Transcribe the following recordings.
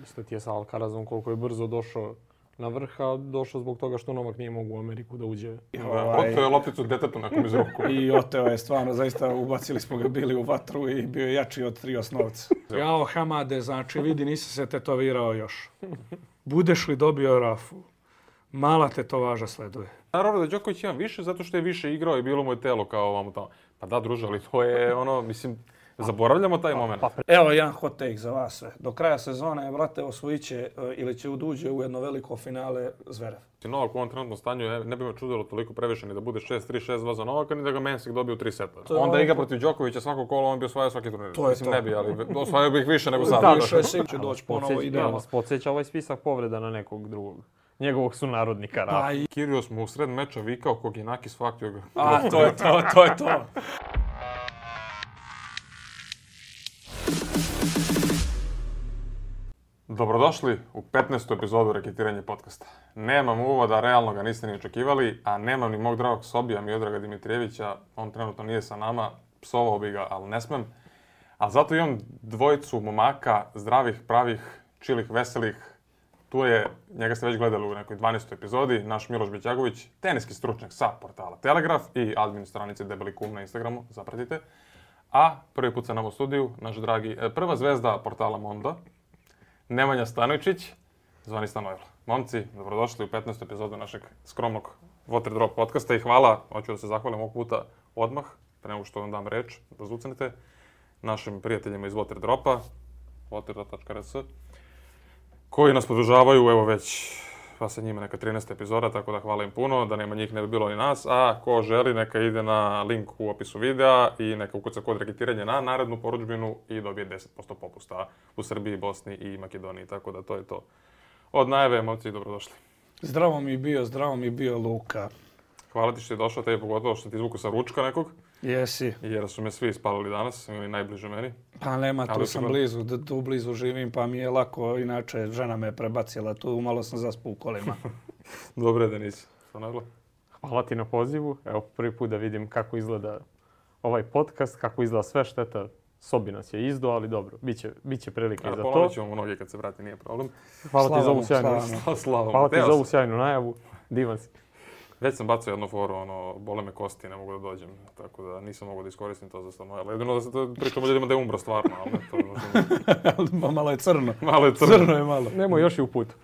Isto ti je sa Alcarazom koliko je brzo došao na vrh, a došao zbog toga što Novak nije mogao u Ameriku da uđe. Oteo je lopticu detetu nekom iz ruku. I oteo je stvarno, zaista ubacili smo ga bili u vatru i bio je jači od 3 osnovca. Jao, Hamade, znači vidi, nisi se tetovirao još. Budeš li dobio Rafu? Mala tetovaža sleduje. Naravno da Đoković ima više zato što je više igrao i bilo mu je telo kao ovamo tamo. Pa da, druže, ali to je ono, mislim, zaboravljamo taj moment. Evo jedan hot take za vas sve. Do kraja sezone, brate, osvojit će ili će uđe u jedno veliko finale Zverev. Novak u ovom trenutnom stanju ne bi me čudilo toliko previše ni da bude 6-3, 6-2 za Novaka, ni da ga Mensik dobije u 3 seta. Onda igra protiv Đokovića svako kolo, on bi osvajao svaki turnir. Mislim, ne bi, ali osvajao bi ih više nego sada. Da, više će doći ponovo idealno. Podsjeća ovaj spisak povreda na nekog drugog. Njegovog sunarodnika Rafa. Kyrgios mu u sred meča vikao Koginakis faktio ga. A, to je to. Dobrodošli u 15. epizodu Reketiranje podcasta. Nemam uvoda, realno ga niste ni očekivali, a nemam ni mog dragog Sobija Miodraga Dimitrijevića. On trenutno nije sa nama, psovao bi ga, ali ne smem. Ali zato imam dvojicu momaka, zdravih, pravih, čilih, veselih. Tu je, njega ste već gledali u nekoj 12. epizodi, naš Miloš Bićagović, teniski stručnjak sa portala Telegraf i admin stranice Debeli Kum na Instagramu, zapratite. A prvi put sa nama u studiju, naš dragi, prva zvezda portala Mondo, Nemanja Stanojčić, zvani Stanojlo. Momci, dobrodošli u 15. epizodu našeg skromnog Water Drop podcasta i hvala, hoću da se zahvalim ovog puta odmah, pre nego što vam dam reč, da zucnete, našim prijateljima iz Water Dropa, waterdrop.rs, koji nas podržavaju, evo već, pa sa njima neka 13. epizoda, tako da hvala im puno, da nema njih ne bi bilo ni nas, a ko želi neka ide na link u opisu videa i neka ukuca kod reketiranja na narednu porudžbinu i dobije 10% popusta u Srbiji, Bosni i Makedoniji, tako da to je to. Od najave, momci, dobrodošli. Zdravo mi bio Luka. Hvala ti što je došao, tebi pogotovo što ti izvuku sa ručka nekog. Jesi. Jer su me svi ispalili danas, ili najbliže meni. Pa nema, tu sam blizu, tu blizu živim, pa mi je lako, inače žena me prebacila tu, malo sam zaspao u kolima. Dobre da nisi. Hvala ti na pozivu, evo prvi put da vidim kako izgleda ovaj podcast, kako izgleda sve, šteta. Sobi nas je izdo, ali dobro, bit će prilike za to. Polovit ćemo mu noge kad se vrati, nije problem. Hvala ti za ovu sjajnu najavu, divan si. Već sam bacao jednu foru, bole me kosti, ne mogu da dođem, tako da nisam mogao da iskoristim to za Stanojla. Jedino da se to pričamo ljudima da je umro stvarno, ali ne to malo je crno. Crno je malo. Nemo još i u putu.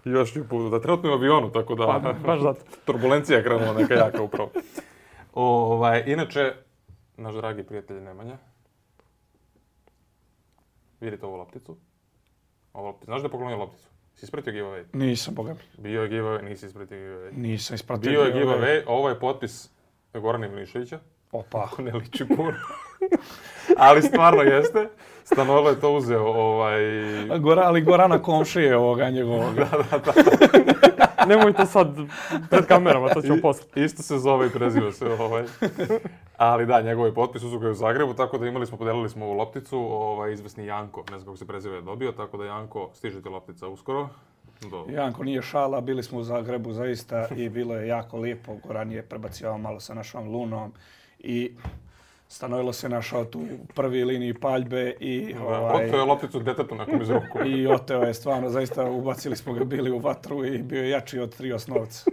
Da trenutno je u avionu, tako da... Pa, baš zato. Turbulencija je krenula neka jaka upravo. Inače, naš dragi prijatelj Nemanja, vidite ovu lopticu. Znaš da je poklonio lopticu? Si ispratio giveaway? Nisam, boga mi. Bio je giveaway, nisi ispratio giveaway. Nisam ispratio giveaway. Bio je giveaway, ovo je potpis Gorana Ivaniševića. Opa. Ako ne liči puno. Ali stvarno jeste. Stanojlo je to uzeo. Ali Gorana komšije ovoga njegovog. Da. Nemoj to sad pred kamerama, to ćemo posle. Isto se zove i preziva se. Ali da, njegov je potpis, uzeo ga je u Zagrebu, tako da podelili smo ovu lopticu. Izvesni Janko, ne znam kako se preziva, je dobio, tako da Janko, stiže ti loptica uskoro. Janko nije šala, bili smo u Zagrebu zaista i bilo je jako lijepo. Goran je prebacivao malo sa našom Lunom i Stanojlo se našao tu u prvoj liniji paljbe i... Oteo je lopticu detetu nekom iz ruku. I oteo je stvarno, zaista ubacili smo ga bili u vatru i bio je jači od 3 osnovca.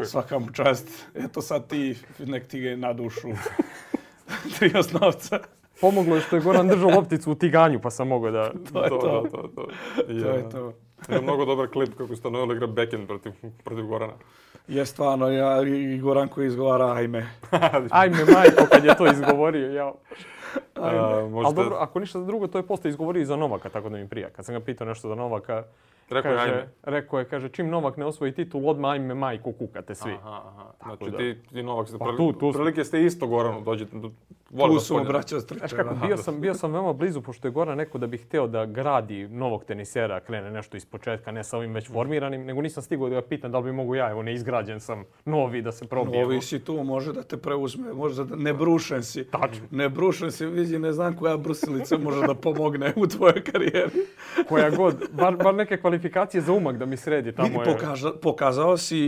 Svaka mu čast. Eto sad nek ti ga na dušu 3 osnovca. Pomoglo je što je Goran držao lopticu u tiganju, pa sam mogao da... To je to. Je mnogo dobar klip kako Stanojlo igra backhand protiv Gorana. Je stvarno, i Goran koji izgovara ajme. Ajme majko kad je to izgovorio, jao. Ali dobro, ako ništa drugo, to je posle izgovorio i za Novaka, tako da mi prija. Kad sam ga pitao nešto za Novaka, rekao je, kaže, čim Novak ne osvoji titul, odmah ajme majko kukate svi. Znači ti Novak ste prilike ste isto Goranu, dođete. Tu su mu braća stričeva. Bio sam veoma blizu, pošto je Goran rekao da bih hteo da gradi novog tenisera, krene nešto iz početka, ne sa ovim već formiranim, nego nisam stigao da ga pitam da li bi mogu ja, evo neizgrađen sam, novi da se probijemo. Novi si tu, može da te preuzme, može da ne brušen si. Tačno. Ne brušen si, vidi, ne znam koja brusilica može da pomogne u tvojoj karijeri. Koja god, bar neke kvalifikacije za umak da mi sredi tamo je. Pokazao si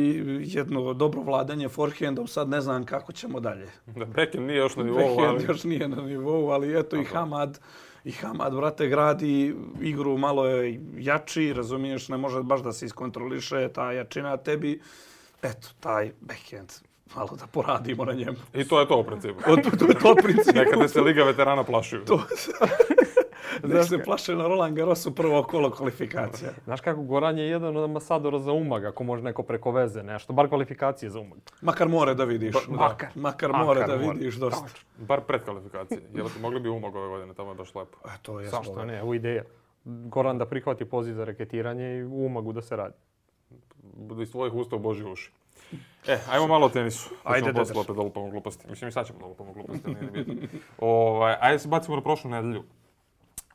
jedno dobro vladanje forehandom, sad ne znam kako ćemo dalje. Backhand nije još na nivou, još nije na nivou, ali eto i Hamad I Hamad, brate, gradi igru, malo je jači, razumiješ, ne može baš da se iskontroliše ta jačina tebi. Eto, taj backhand, malo da poradimo na njemu. I to je to u principu. To je to u principu. Nekada se Liga veterana plašuju. Nek se plaše na Roland Garrosu prvo kolo kvalifikacija. Znaš kako, Goran je jedan od ambasadora za Umag, ako može neko preko veze nešto, bar kvalifikacije za Umag. Makar more da vidiš. Makar more da vidiš dosta. Bar pred kvalifikacije. Mogli bi Umag ove godine, tamo je baš lepo. To je zašto ne, u ideja. Goran da prihvati poziv za reketiranje i u Umagu da se radi. Bude iz tvojih usta u Božji uši. Ajmo malo o tenisu. Ajde, da ćemo posle da lupamo gluposti. Mislim, i sad ćemo da lupamo gluposti, nije bitno. Ajde se bacimo na prošlu nedelju.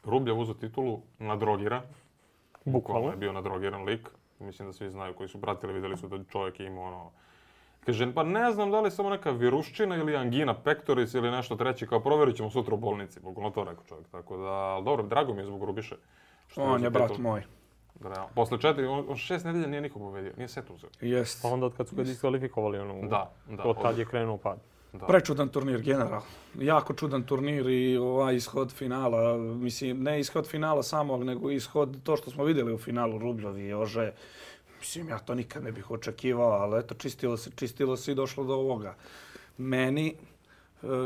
Rubljev uzeo titulu, nadrogiran. Bukvalno je bio nadrogiran lik. Mislim da svi znaju koji su pratili, vidjeli su da čovjek ima ono... Kaže, pa ne znam da li je samo neka viruščina ili angina pectoris ili nešto treće, kao provjerit ćemo sutra u bolnici. Bukvalno to rekao čovjek. Tako da, dobro, drago mi je zbog Rubiše. On je brat moj. Posle 6 nedelja nije niko povedio, nije set uzeo. Jest. Pa onda od kad su ga diskvalifikovali, od tad je krenuo pad. Prečudan turnir, general. Jako čudan turnir i ovaj ishod finala. Mislim, ne ishod finala samo, nego ishod to što smo vidjeli u finalu Rubljev i Ože. Mislim, ja to nikad ne bih očekivao, ali eto, čistilo se i došlo do ovoga. Meni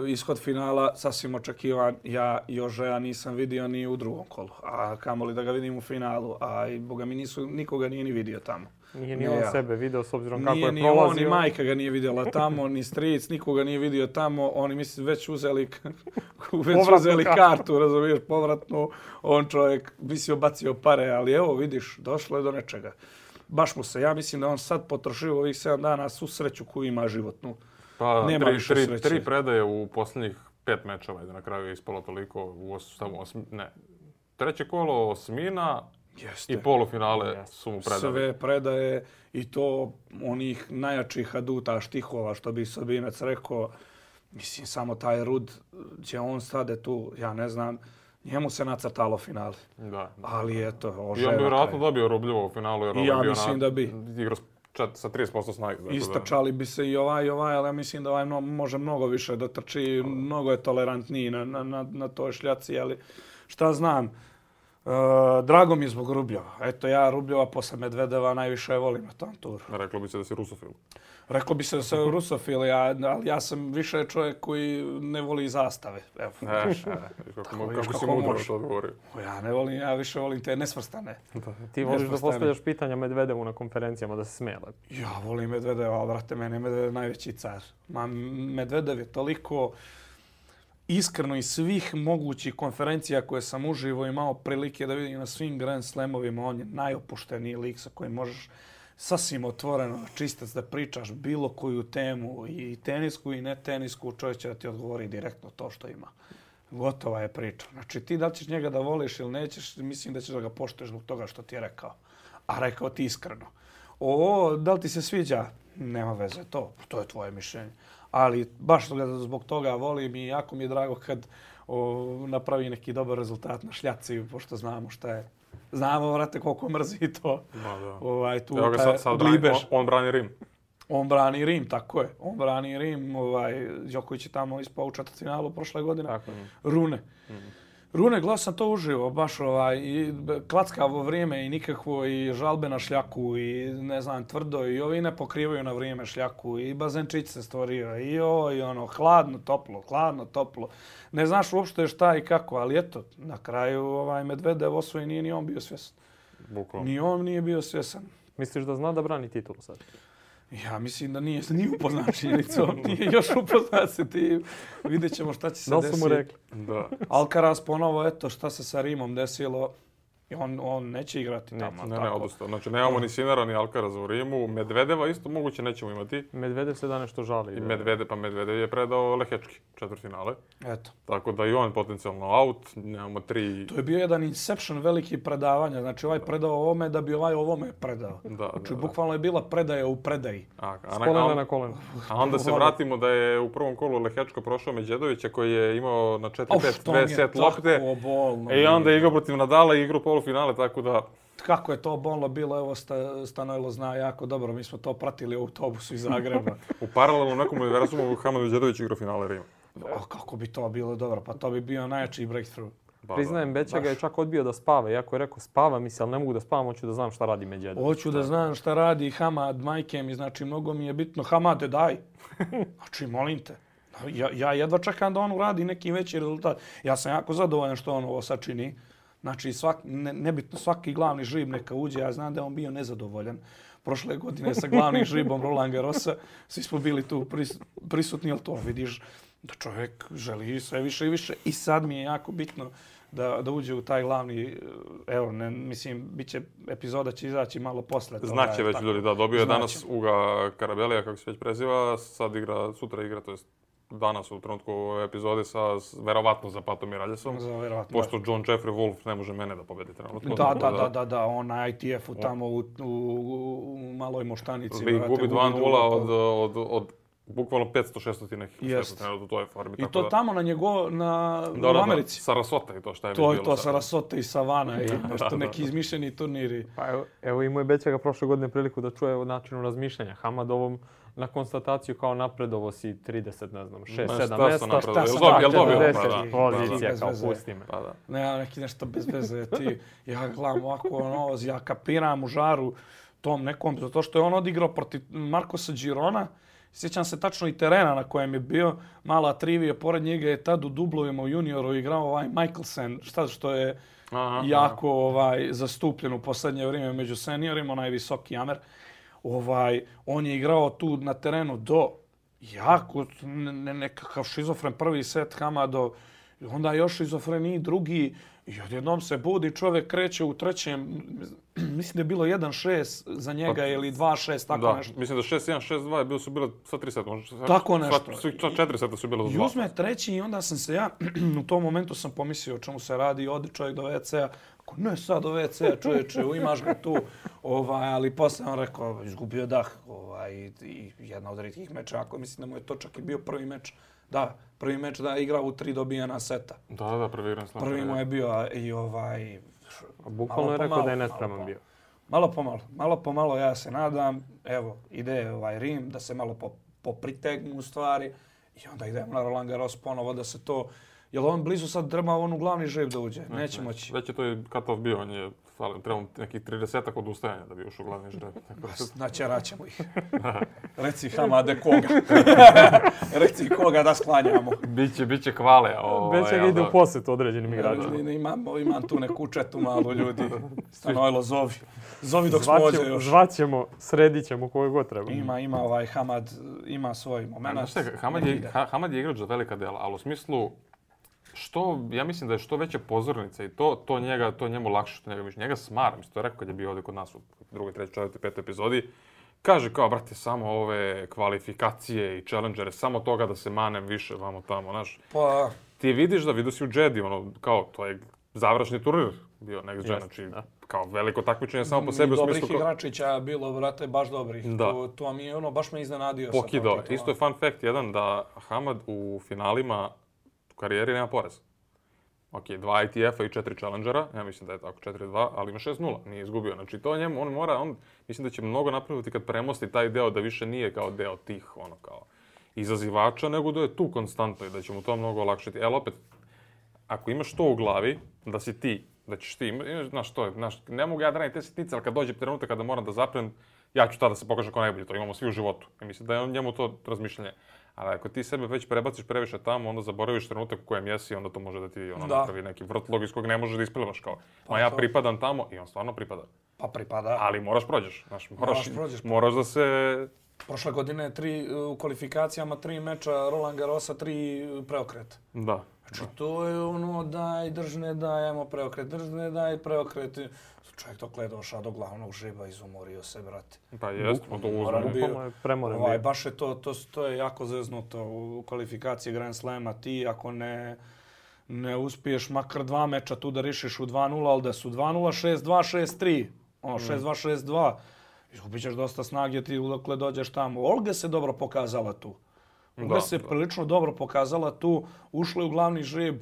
ishod finala sasvim očekivan. Ja Jožeja nisam vidio ni u drugom kolu, a kamoli da ga vidim u finalu. A i boga mi nikoga nije ni vidio tamo. Nije ni on sebe video s obzirom kako je prolazio. Nije ni on, ni majka ga nije vidjela tamo, ni stric, nikoga nije vidio tamo. Oni mislim već uzeli kartu, razumiješ, povratnu. On čovjek mislio bacio pare, ali evo vidiš, došlo je do nečega. Baš mu se, ja mislim da on sad potrošio ovih 7 dana svu sreću koju ima životnu. Pa, tri predaje u posljednjih 5 mečeva, da na kraju je ispalo toliko, treće kolo osmina i polufinale su mu predali. Sve predaje i to onih najjačih aduta, štihova, što bi Sabinac rekao. Mislim, samo taj Rud, gdje on stade tu, ja ne znam, njemu se nacrtalo finale. Da. Ali eto, I on bi vjerojatno dobio Rubljevo u finalu, jer ja mislim da bi. Igrao sa 30% snage. Istrčali bi se i ovaj, ali ja mislim da ovaj može mnogo više da trči, mnogo je tolerantniji na toj šljaci, ali šta znam. Drago mi je zbog Rubljeva. Eto, ja Rubljeva posle Medvedeva najviše volim na tom turu. Reklo bi se da si rusofil. Reklo bi se da sam rusofil, ali ja sam više čovjek koji ne voli zastave. Evo, kako si mudro to odgovorio. Ja ne volim, ja više volim te nesvrstane. Ti voliš da postavljaš pitanja Medvedevu na konferencijama da se smijela. Ja volim Medvedeva, brate, mene je Medvedev najveći car. Medvedev je toliko iskreno iz svih mogućih konferencija koje sam uživo imao prilike da vidim na svim Grand Slamovima, on je najopušteniji lik sa kojim možeš sasvim otvoreno, čistac da pričaš bilo koju temu, i tenisku i ne tenisku, čovjek će da ti odgovori direktno to što ima. Gotova je priča. Znači ti da ćeš njega da voliš ili nećeš, mislim da ćeš da ga poštuješ zbog toga što ti je rekao. A rekao ti iskreno. Da li ti se sviđa? Nema veze, to je tvoje mišljenje. Ali baš zbog toga volim i jako mi je drago kad napravi neki dobar rezultat na šljaci, pošto znamo šta je. Znamo, vrate, koliko mrzi to. Evo ga sad on brani Rim. On brani Rim, tako je. On brani Rim. Đoković je tamo ispao u četvrtfinalu prošle godine. Rune. Rune, gledao sam to uživo, baš i klackavo vrijeme i nikakvo, i žalbe na šljaku, i ne znam, tvrdo, i ovi ne pokrivaju na vrijeme šljaku, i bazenčić se stvorio, i ono, hladno, toplo. Ne znaš uopšte šta i kako, ali eto, na kraju Medvedev osvoji, nije ni on bio svjesan. Ni on nije bio svjesan. Misliš da zna da brani titulu sad? Ja mislim da nije upoznat činjenicom, nije još upoznat se ti. Vidjet ćemo šta će se desiti. Da su mu rekli. Alcaraz ponovo, eto šta se sa Rimom desilo. On neće igrati tamo. Ne, odustao. Znači, nemamo ni Sinara, ni Alcaraza u Rimu. Medvedeva isto moguće nećemo imati. Medvedev se da nešto žali. I Medvedev je predao Lehečki, četvrtfinale. Eto. Tako da i on potencijalno out. Nemamo 3... To je bio jedan inception veliki predavanja. Znači, ovaj predao ovome da bi ovaj ovome predao. Znači, bukvalno je bila predaja u predaji. S kolena na koleno. A onda se vratimo da je u prvom kolu Lehečko prošao Medjedovića koji je imao na 4-5 2 set lopte. I onda je igrao protiv Nadala i igrao polufinale, tako da... Kako je to bolno bilo, evo Stanojlo zna jako dobro, mi smo to pratili u autobusu iz Zagreba. U paralelnom nekom univerzumu Hamad Medjedović igrao finale Rima. Kako bi to bilo dobro, pa to bi bio najjači breakthrough. Priznajem, Bećaga je čak odbio da spava. Iako je rekao spava mi se, ali ne mogu da spavam, hoću da znam šta radi Medjedović. Hoću da znam šta radi Hamad, majke mi, znači mnogo mi je bitno. Hamade, daj. Znači, molim te. Ja jedva čekam da on uradi neki veći rezultat. Ja sam jako zadovoljan što on ovo sačini. Znači, nebitno svaki glavni žrib neka uđe. Ja znam da je on bio nezadovoljan. Prošle godine sa glavnim žribom Roland Garrosa. Svi smo bili tu prisutni, ali to vidiš da čovjek želi sve više i više. I sad mi je jako bitno da uđe u taj glavni, evo, mislim, epizoda će izaći malo posle. Znaće već ljudi, da, dobio je danas Uga Karabelija, kako se već preziva, sutra igra, to jest danas u trenutku ove epizode sa verovatno Zapatom i Raljesom. Pošto John Jeffrey Wolf ne može mene da pobedi trenutno. Da, on na ITF-u tamo u maloj moštanici. Gubi 2-0 od bukvalno 500-600 nekih u toj formi. I to tamo u Americi. Sarasota i to šta je bilo. To Sarasota i Savana i nešto neki izmišljeni turniri. Pa evo imao je Bećaga prošle godine priliku da čuje o načinu razmišljanja. Hamadovom na konstataciju kao napredovo si 30, ne znam, 6-7 mjesta. Šta sam dobio? Pozicija kao pusti me. Ne, neki nešto bez veze. Ja gledam ovako, ja kapiram u žaru tom nekom, zato što je on odigrao protiv Marcosa Girona. Sjećam se tačno i terena na kojem je bio. Mala trivija, pored njega je tad u dublovima u junioru igrao Michelsen, što je jako zastupljen u posljednje vrijeme među seniorima, onaj visoki Amer. On je igrao tu na terenu do jako nekakav šizofren prvi set Hamadov, onda još šizofreniji drugi. I odjednom se budi, čovjek kreće u trećem, mislim da je bilo 1-6 za njega ili 2-6, tako nešto. Mislim da 6-1, 6-2 su bile sva 3 seta. Tako nešto. 4 seta su bile za 2. I uzme treći i onda sam se ja, u tom momentu sam pomislio o čemu se radi, odi čovjek do WC-a. Ne sad do WC-a, čovječe, imaš ga tu. Ali posle on rekao, izgubio dah. I jedna od rijetkih meča, ako mislim da mu je to čak i bio prvi meč. Da, prvi meč da je igrao u 3 dobijena seta. Da, prvi Grand Slam. Prvi mu je bio i bukvalno je rekao da je nespreman bio. Malo po malo ja se nadam, evo, ide Rim, da se malo popritegnu u stvari i onda idemo na Roland Garros ponovo da se to... Jel on blizu sad treba on u glavni žreb da uđe? Neće moći. Već je to i cut-off bio, on je trebao nekih 30-ak odustajanja da bi ušao u glavni žreb. Načerat ćemo ih. Reci Hamade koga. Reci koga da sklanjamo. Biće hvale. Već ga ide u posjet određenim igračima. Imam tu neku četu malo ljudi. Stanojlo, zovi. Zovi dok smo ovdje još. Zvaćemo, sredit ćemo koju god treba. Ima Hamad, ima svoj moment. Hamad je igrač za velika dela, ali u smislu ja mislim da je što veća pozornica i to njemu lakše, što njega smara. Mislim, to je rekao kad je bio ovdje kod nas u 2., 3., 4., 5. epizodi. Kaže kao, brate, samo ove kvalifikacije i challengere, samo toga da se manem više vamo tamo, znaš. Pa... Ti vidiš da vidio si u Jedi, kao, to je završni turnir bio Next Gen, znači kao veliko takmičenje samo po sebi u smislu... Dobrih igračića bilo, brate, baš dobrih. To mi je baš me iznenadio. Pokido. Isto je fun fact jedan da Hamad u finalima u karijeri nema porez. Ok, 2 ITF-a i 4 challengera, ja mislim da je tako 4-2, ali ima 6-0, nije izgubio. Znači to njemu, mislim da će mnogo napraviti kad premosti taj deo da više nije kao deo tih, kao izazivača, nego da je tu konstantno i da će mu to mnogo olakšati. Opet, ako imaš to u glavi, da si ti, da ćeš ti, ne mogu ja da radim te sitnice, ali kad dođe trenutak kada moram da zaprem, ja ću tada se pokažem kao najbolji, to imamo svi u životu. I mislim da je njemu to razmišljanje. Ali ako ti sebe već prebaciš previše tamo, onda zaboraviš trenutak u kojem jesi, onda to može da ti napravi neki vrtlog iz kojeg ne možeš da isplivaš kao. Ja pripadam tamo i on stvarno pripada. Pa pripada. Ali moraš prođeš. Moraš da se... Prošle godine u kvalifikacijama 3 meča Roland Garrosa, 3 preokreta. Da. Znači to je daj, držne, daj, ajmo preokret, držne, daj, preokret. Čovjek dok je došao do glavnog žreba, izumorio se, brate. Pa jest, on to uzme. Premoren. Baš je to je jako zeznuto u kvalifikaciji Grand Slama. Ti ako ne uspiješ makar 2 meča tu da rišiš u 2-0, ali da su 2-0, 6-2, 6-3, 6-2, 6-2. Izgubit ćeš dosta snage ti dokle dođeš tamo. Olga se dobro pokazala tu. Olga se prilično dobro pokazala tu. Ušla u glavni žreb.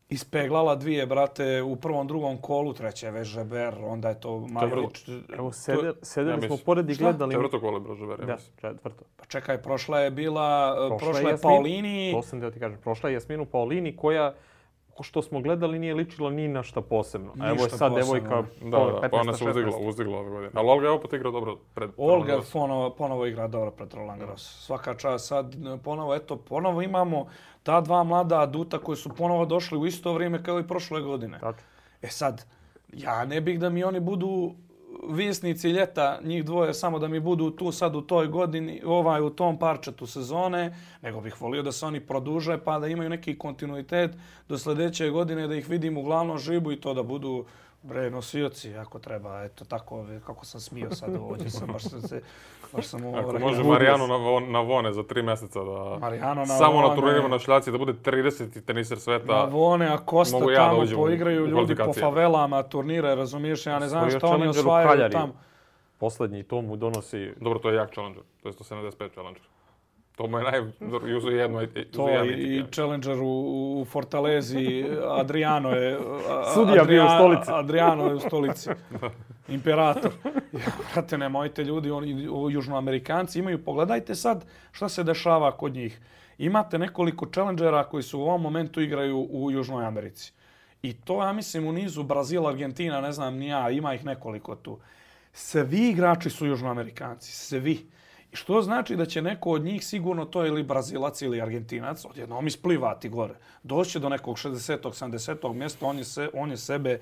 Ispeglala 2, brate, u prvom, drugom kolu, treće već Žeber, onda je to Marilić. Evo, sedeli smo pored i gledali... Četvrto kolo je bilo Žeber, ja mislim. Četvrto. Pa čekaj, prošla je Paolini. To sam da ti kažem, prošla je Jasminu Paolini što smo gledali nije ličilo ni na šta posebno. A evo je sad devojka 15-16. Pa ona se uzdigla ove godine. Ali Olga je opet igrao dobro pred Roland Garros. Olga ponovo igra dobro pred Roland Garros. Svaka čast. Sad ponovo imamo ta dva mlada aduta koji su ponovo došli u isto vrijeme kao i prošle godine. Tako. Sad, ja ne bih da mi oni budu visnici ljeta, njih dvoje, samo da mi budu tu sad u toj godini, u tom parčetu sezone, nego bih volio da se oni produže pa da imaju neki kontinuitet do sljedeće godine, da ih vidim u glavnom žibu i to da budu nosioci ako treba. Eto tako, kako sam smio sad ovdje. Baš sam ako može Marijano na Vone za 3 mjeseca da samo na turnirima na šljaci da bude 30. teniser sveta. Na Vone, a Kosta tamo poigraju ljudi po favelama, turnire, razumiješ? Ja ne znam šta oni osvajaju tamo. Posljednji to mu donosi... Dobro, to je jak challenger. To je 175 challenger. To mu je To i challenger u Fortalezi, Adriano je... Sudija bio u stolici. Adriano je u stolici. Imperator. Brate, nemojte ljudi, oni južnoamerikanci imaju... Pogledajte sad šta se dešava kod njih. Imate nekoliko challengera koji su u ovom momentu igraju u Južnoj Americi. I to, ja mislim, u nizu Brazil, Argentina, ne znam ni ja, ima ih nekoliko tu. Svi igrači su južnoamerikanci, svi. I što znači da će neko od njih sigurno to ili Brazilac ili Argentinac odjednom isplivati gore. Doći do nekog 60. 70. mjesta, on je sebe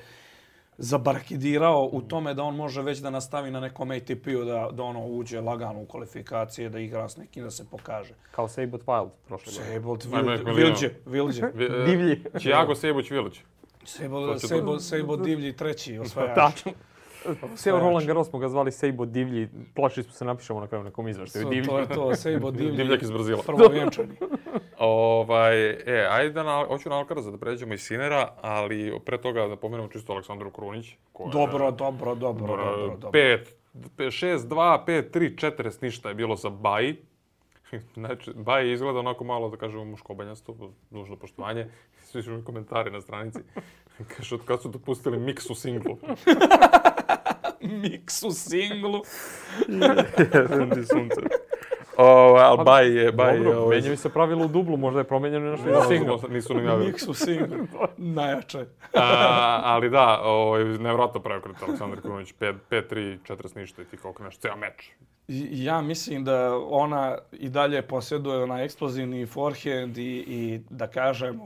zabarkidirao u tome da on može već da nastavi na nekom ATP-u, da ono uđe lagano u kvalifikacije, da igra s nekim, da se pokaže. Kao Sejbot Wild prošle godine. Vilđe. Divlji. Čijago Sejboć Vilić. Sejbot Divlji treći osvajač. Tačno. Sve Roland Garros smo ga zvali Sejbot Divlji. Plašili smo se napišemo na kraju nekom izveštaju. To je to, Sejbot Divlji. Divljak iz Brazila. Prvovjenčani. Ajde, hoću na Alcaraza da pređemo iz Sinera, ali pre toga da pomenemo čisto Aleksandru Krunić. Dobro. 6-2, 5-3, 40 ništa je bilo za Baji. Znači, Baji izgleda onako malo, da kažemo, muškobanjasto, dužno poštovanje. Svi su mi komentari na stranici. Kaže, od kada su dopustili miks u singlu? Miks u singlu? Ali Baji je... Dobro, menjaju se pravilo u dublu, možda je promenjeno nešto i na singlu. Nisu ni javili. Miks u singlu, najjače. Ali da, nevjerojatno preokret Aleksandar Krunić, 5-3, 40 ništa i ti kao kreneš ceo meč. Ja mislim da ona i dalje posjeduje onaj eksplozivni forehand i da kažem,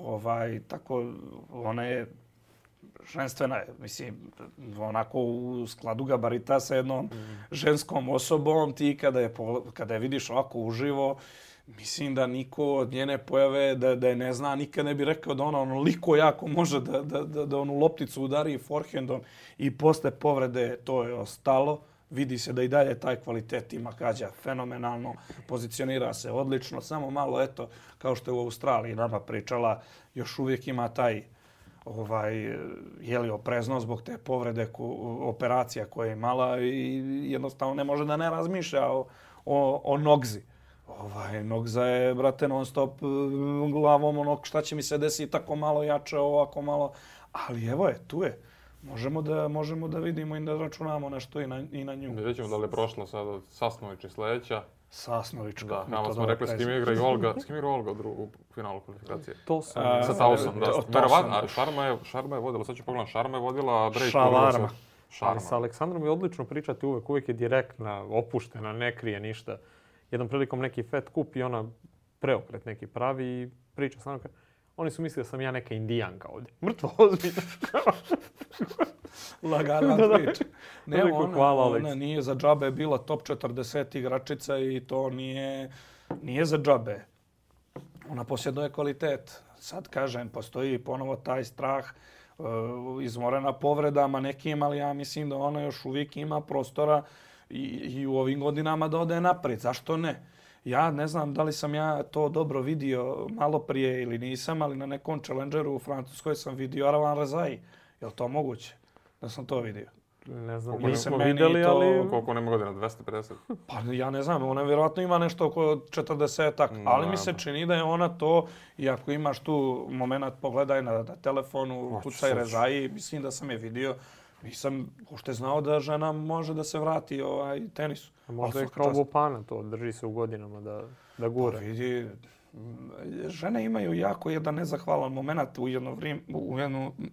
tako, ona je ženstvena, mislim, onako u skladu gabarita sa jednom ženskom osobom, ti kada je vidiš ovako uživo, mislim da niko od njene pojave da je ne zna, nikad ne bi rekao da ona onoliko jako može da onu lopticu udari forehandom i posle povrede to je ostalo. Vidi se da i dalje taj kvalitet ima Kađa fenomenalno, pozicionira se odlično, samo malo, eto, kao što je u Australiji nama pričala, još uvijek ima taj oprezno zbog te povrede operacija koje je imala i jednostavno ne može da ne razmišlja o nogzi. Nogza je, brate, non stop glavom šta će mi se desiti tako malo jače, ovako malo, ali evo je, tu je. Možemo da vidimo i da računamo nešto i na nju. Vidjet ćemo da li je prošla sada Sasnović i sljedeća. Sasnović. Da, nama smo rekli s kim igra i Olga. S kim igra Olga u finalu kvalifikacije? To sam. Sa Tausom, da. Verovatno, Šarma je vodila, sad ću pogledam, Šarma je vodila break. Šavarma. Ali sa Aleksandrom je odlično pričati uvijek je direktna, opuštena, ne krije ništa. Jednom prilikom neki Fed kup i ona preokret neki pravi i priča sa mnom. Oni su mislili da sam ja neka indijanka ovdje. Mrtvo ozbiljno. Lagana priča. Ne, ona nije za džabe bila top 40 igračica i to nije za džabe. Ona posjeduje kvalitet. Sad kažem, postoji ponovo taj strah izmorena povredama nekim, ali ja mislim da ona još uvijek ima prostora i u ovim godinama da ode naprijed. Zašto ne? Ja ne znam da li sam ja to dobro vidio malo prije ili nisam, ali na nekom challengeru u Francuskoj sam vidio Arvan Razai. Je li to moguće da sam to vidio? Ne znam, nismo vidjeli, ali... Koliko nema godina? 250? Pa ja ne znam, ona vjerojatno ima nešto oko 40-ak, ali mi se čini da je ona to, i ako imaš tu moment, pogledaj na telefonu, kucaj Razai, mislim da sam je vidio. Nisam uopšte znao da žena može da se vrati tenisu. Možda je kao Vopana to, drži se u godinama da gura. Pa vidi, žene imaju jako jedan nezahvalan moment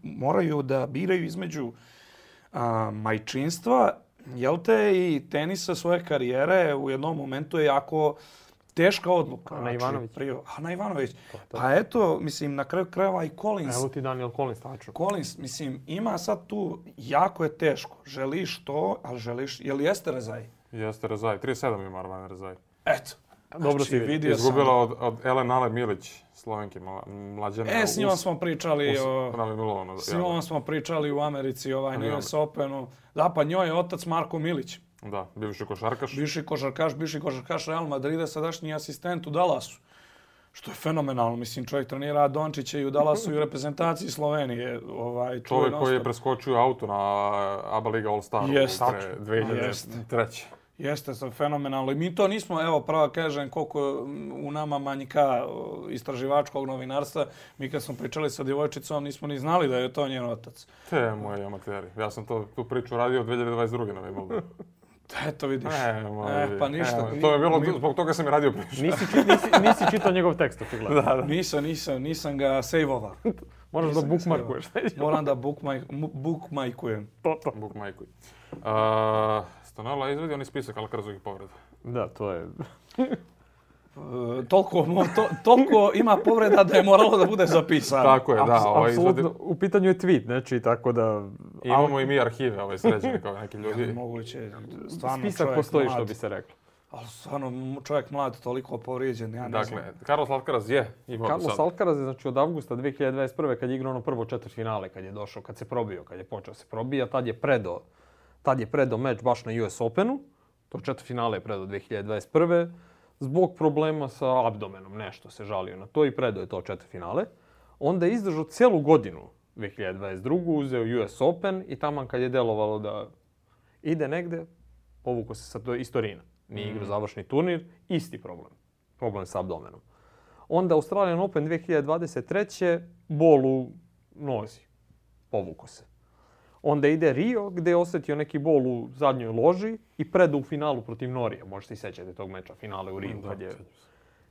moraju da biraju između majčinstva, jel te, i tenisa svoje karijere. U jednom momentu je jako teška odluka. Ana Ivanović. Ana Ivanović. Pa eto, mislim, na kraju krajeva i Collins. Evo ti Daniel Collins, tačno. Collins, mislim, ima sad tu, jako je teško. Želiš to, ali želiš, je li jeste Rezaj? Jeste Rezaj, 37 ima Arvana Rezaj. Eto. Dobro si vidio. Izgubila od Elena Milić, Slovenke, mlađene. S njom smo pričali s njom smo pričali u Americi, na US Openu. Da, pa njoj je otac Marko Milić. Da, bivši košarkaš. Bivši košarkaš Real Madrida, sadašnji asistent u Dallasu. Što je fenomenalno. Mislim, čovjek trenira Dončića i u Dallasu i u reprezentaciji Slovenije. Čovjek koji je preskočio auto na ABA Liga All-Staru 2003. Jeste, fenomenalno. I mi to nismo, evo, pravo kažem, koliko u nama manjka istraživačkog novinarstva. Mi kad smo pričali sa djevojčicom, nismo ni znali da je to njen otac. Te moji amateri. Ja sam tu priču radio od 2022. na Wimbledonu. Eto vidiš. Pa ništa. To je bilo, zbog toga sam i radio priču. Nisi čitao njegov tekst, očigledno. Da. Nisam ga sejvovao. Moraš da bookmarkuješ. Moram da bookmarkujem. Bookmarkuj. Stanala izvedi oni spisak Alcarazovih povreda. Da, to je... Toliko ima povreda da je moralo da bude zapisano. Tako je, da. Apsolutno, u pitanju je tweet, znači, tako da... Imamo i mi arhive sređene kao neki ljudi. Moguće, stvarno spisak postoji, što bi se reklo. Ali stvarno, čovjek mlad, toliko povrijeđen, ja ne znam. Dakle, Carlos Alcaraz je imao sad. Carlos Alcaraz je, znači, od avgusta 2021. kad je igrao ono prvo četvrtfinale, kad je došao, kad se probio, kad je počeo se probija, tad je predao meč baš na US Openu. To četvrtfinale je predao 2021. Zbog problema sa abdomenom, nešto se žalio na to i predao je to četvrtfinale. Onda je izdržao cijelu godinu 2022. Uzeo US Open i taman kad je delovalo da ide negde, povukao se sa Istorina. Nije igrao završni turnir, isti problem. Problem sa abdomenom. Onda Australian Open 2023. bol u nozi. Povukao se. Onda ide Rio gdje je osjetio neki bol u zadnjoj loži i predao u finalu protiv Norije. Možete i sećate tog meča, finale u Rio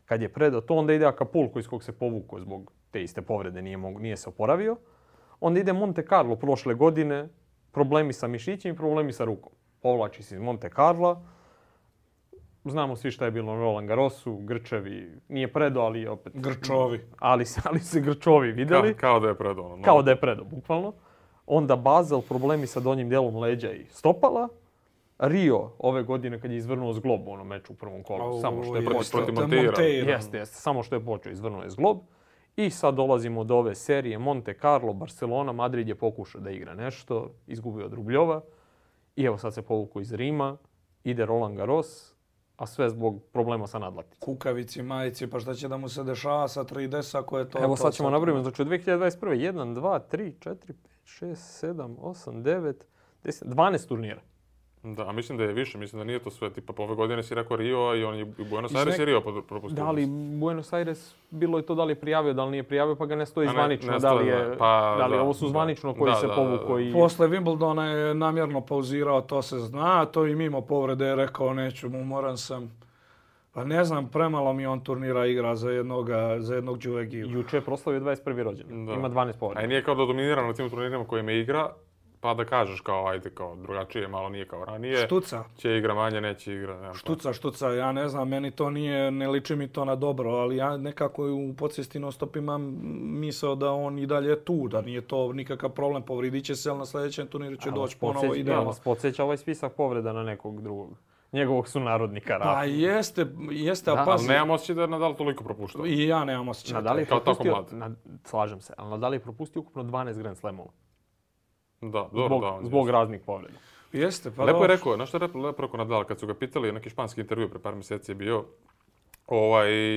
kad je predao to. Onda ide Acapulco iz kog se povukao zbog te iste povrede, nije se oporavio. Onda ide Monte Carlo prošle godine, problemi sa mišićem i problemi sa rukom. Povlači se iz Monte Carla. Znamo svi šta je bilo na Roland Garrosu, grčevi, nije predao, ali opet... Grčovi. Ali se grčovi vidjeli. Kao da je predao. Kao da je predao, bukvalno. Onda Basel, problemi sa donjim dijelom leđa i stopala. Rio ove godine kad je izvrnuo zglob u onom meču u prvom kolu. Samo što je počeo. Jeste, samo što je počeo, izvrnuo je zglob. I sad dolazimo do ove serije Monte Carlo, Barcelona, Madrid je pokušao da igra nešto, izgubio od Rubljova. I evo sad se povukao iz Rima, ide Roland Garros, a sve zbog problema sa nadlaticom. Kukavici, majici, pa šta će da mu se dešava sa 3DS ako je to... Evo sad ćemo nabrojiti, znači od 2021. 1, 2, 3, 4, 5, 6, 7, 8, 9, 10, 12 turnira. Da, mislim da je više, mislim da nije to sve. Tipa, ove godine si rekao Rio i on je u Buenos Aires i Rio propustio. Da li Buenos Aires, bilo je to da li je prijavio, da li nije prijavio, pa ga ne stoji zvanično. Da li ovo su zvanično koji se povuko i... Posle Wimbledona je namjerno pauzirao, to se zna, to i mimo povrede je rekao neću, umoran sam. Pa ne znam, premalo mi on turnira igra za jednog Đulegiju. Juče je proslavio 21. rođendan, ima 12 povreda. A i nije kao da dominira na tim turnirima kojima igra, pa da kažeš kao, ajde, kao drugačije, malo nije kao ranije. Štuca. Će igra manje, neće igra. Štuca, ja ne znam, meni to nije, ne liči mi to na dobro, ali ja nekako u podsvijesti non-stop imam misao da on i dalje je tu, da nije to nikakav problem, povridit će se, ali na sljedećem turniru će doći ponovo idealno. Da vas podsjeća ovaj spisak povreda na nekog drugog. Njegovog sunarodnika. Pa jeste, a pazi. Ali nemam osjećaj da je Nadal toliko propuštao. I ja nemam osjećaj. Nadal je propustio, slažem se, ali Nadal je propustio ukupno 12 Grand Slamova. Da, dobro, zbog raznih povreda. Jeste, pa lepo je rekao, znaš što je lepo rekao Nadal, kad su ga pitali, neki španski intervju pre par mjeseci je bio,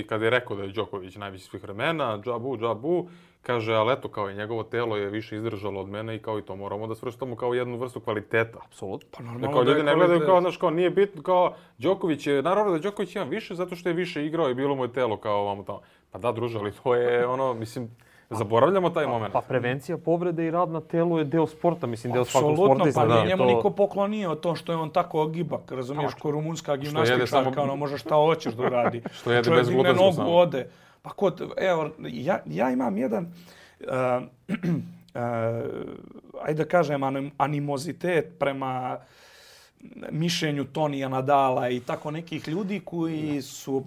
kad je rekao da je Đoković najveći svih vremena, džabu, kaže, ali eto, kao i njegovo telo je više izdržalo od mene i kao i to moramo da svrstamo kao jednu vrstu kvaliteta. Apsolutno. Pa normalno kao ljudi ne gledaju kao, znaš, kao nije bitno, kao Đoković je, naravno da Đoković ima više zato što je više igrao i bilo mu je telo kao ovamo tamo. Pa da, druže, ali to je ono, mislim, Zaboravljamo taj moment. Pa prevencija povrede i rad na telu je deo sporta, mislim, deo svakog sportista. Apsolutno, pa njemu niko poklonio to što je on tako gibak, razumiješ, ko rumunska gimnastičarka, ono može šta hoćeš da uradi. Što jede bez glutenskog samo. Ode. Pa evo, ja imam jedan, ajde da kažem, animozitet prema mišljenju Tonija Nadala i tako nekih ljudi koji su,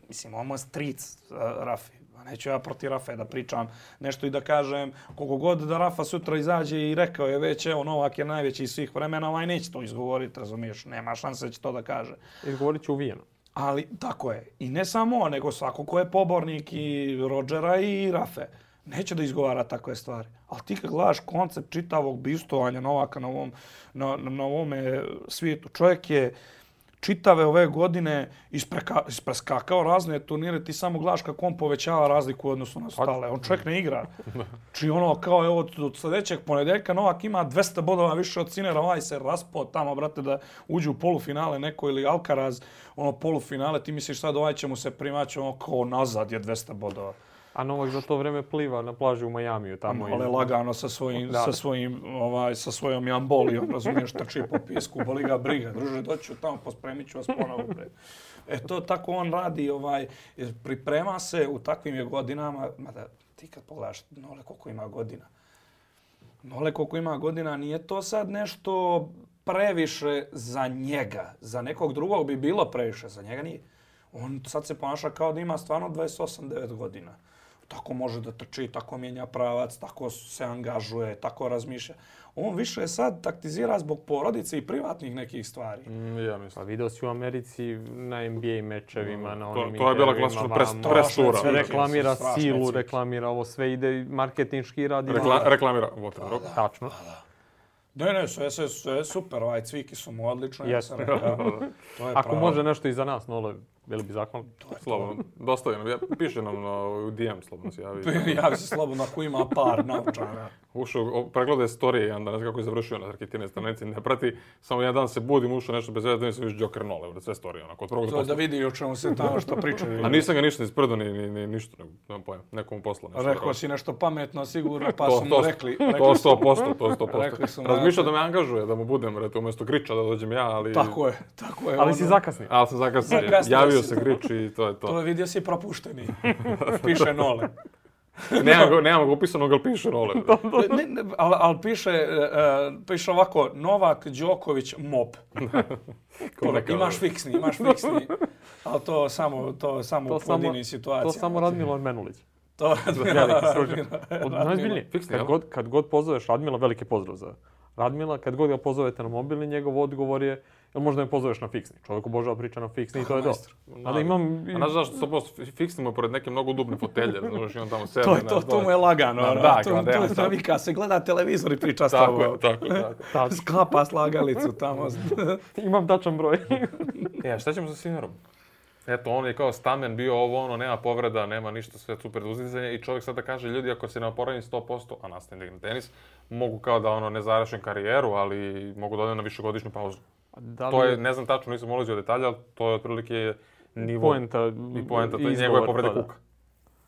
mislim, ono stric Rafi. Neću ja protiv Rafe da pričam nešto i da kažem koliko god da Rafa sutra izađe i rekao je već, evo, Novak je najveći iz svih vremena, ovaj neće to izgovoriti, razumiješ, nema šanse da će to da kaže. Izgovorit će uvijeno. Ali, tako je. I ne samo, nego svako ko je pobornik i Rodgera i Rafe. Neće da izgovara takve stvari. Ali ti kad gledaš koncept čitavog bivstovanja Novaka na ovome svijetu, čovjek je čitave ove godine ispreskakao razne turnire, ti samo gledaš kako on povećava razliku u odnosu na ostale. On čovjek ne igra. Či ono kao evo od sljedećeg ponedeljka Novak ima 200 bodova više od Sinera, ovaj se raspao tamo, brate, da uđe u polufinale neko ili Alcaraz, ono polufinale, ti misliš sad ovaj će mu se primaći ono kao nazad je 200 bodova. A Novak za to vreme pliva na plaži u Majamiju tamo. Ale lagano sa svojom jambolijom, razumiješ, trči po pijesku, boli ga briga. Druže, doću tamo, pospremit ću vas ponovo. To tako on radi, priprema se u takvim je godinama, mada ti kad pogledaš Nole koliko ima godina, nije to sad nešto previše za njega. Za nekog drugog bi bilo previše, za njega nije. On sad se ponaša kao da ima stvarno 28-9 godina. Tako može da trči, tako mijenja pravac, tako se angažuje, tako razmišlja. On više sad taktizira zbog porodice i privatnih nekih stvari. Ja mislim. Pa video si u Americi na NBA mečevima, na onim to je bila klasična prestura. Sve reklamira silu, reklamira ovo, sve ide marketinški radi. Reklamira. Tačno. Ne, sve super, cviki su mu odlično. Ako može nešto i za nas, Nole, bili bi zahvalni. Slobodno, dostavi nam, piše nam u DM, slobodno se javi. Javi se slobodno ako ima par naučara. Ušao, pregledaj storije, jedan dan, ne znam kako je završio na Rakitinoj stranici, ne prati. Samo jedan dan se budim, ušao nešto bez veze, da nisam viš Joker Nole, sve storije, onako, od prvog do posla. Da vidi o čemu se tamo što pričaju. A nisam ga ništa ispredo, ni ništa, nemam pojma, nekomu posla. Rekao si nešto pametno, sigurno, pa su mu rekli. To 100%. Razmišljao da me angažuje, da mu budem, umjesto Griča da dođem ja, ali... Tako je. Ali si zakasnio. Ali sam zakasnio, javio se Grič i to je to. To je vidio si propušteni, piše Nole. Nemam ga upisanog, ali piše Nole. Ali piše ovako, Novak Đoković MOP. Imaš fiksni. Ali to samo u pojedinim situacijama. To samo Radmilo Menulić. To najzbiljnije. Kad god pozoveš Radmila, veliki pozdrav za Radmila. Kad god ga pozovete na mobilni, njegov odgovor je možda me pozoveš na fiksni. Čovjek obožava priča na fiksni i to je dobro. A znaš zašto 100% fiksni mu je pored neke mnogo udobne fotelje, znaš i on tamo sebe. To mu je lagano. To vika se gleda televizor i priča s tobom. Tako. Sklapa slagalicu tamo. Imam tačan broj. Šta ćemo sa Sinerom? Eto, on je kao stamen bio ovo, nema povreda, nema ništa, sve super uzdizanje i čovjek sada kaže, ljudi, ako se ne oporavim 100%, a nastavim da igram tenis, mogu kao da ne završim karijeru, ali mogu da odem na višegodišnju pauzu. To je, ne znam tačno, nisam ulazio u detalje, ali to je otprilike nivo poenta, to je njegove povrede kuka.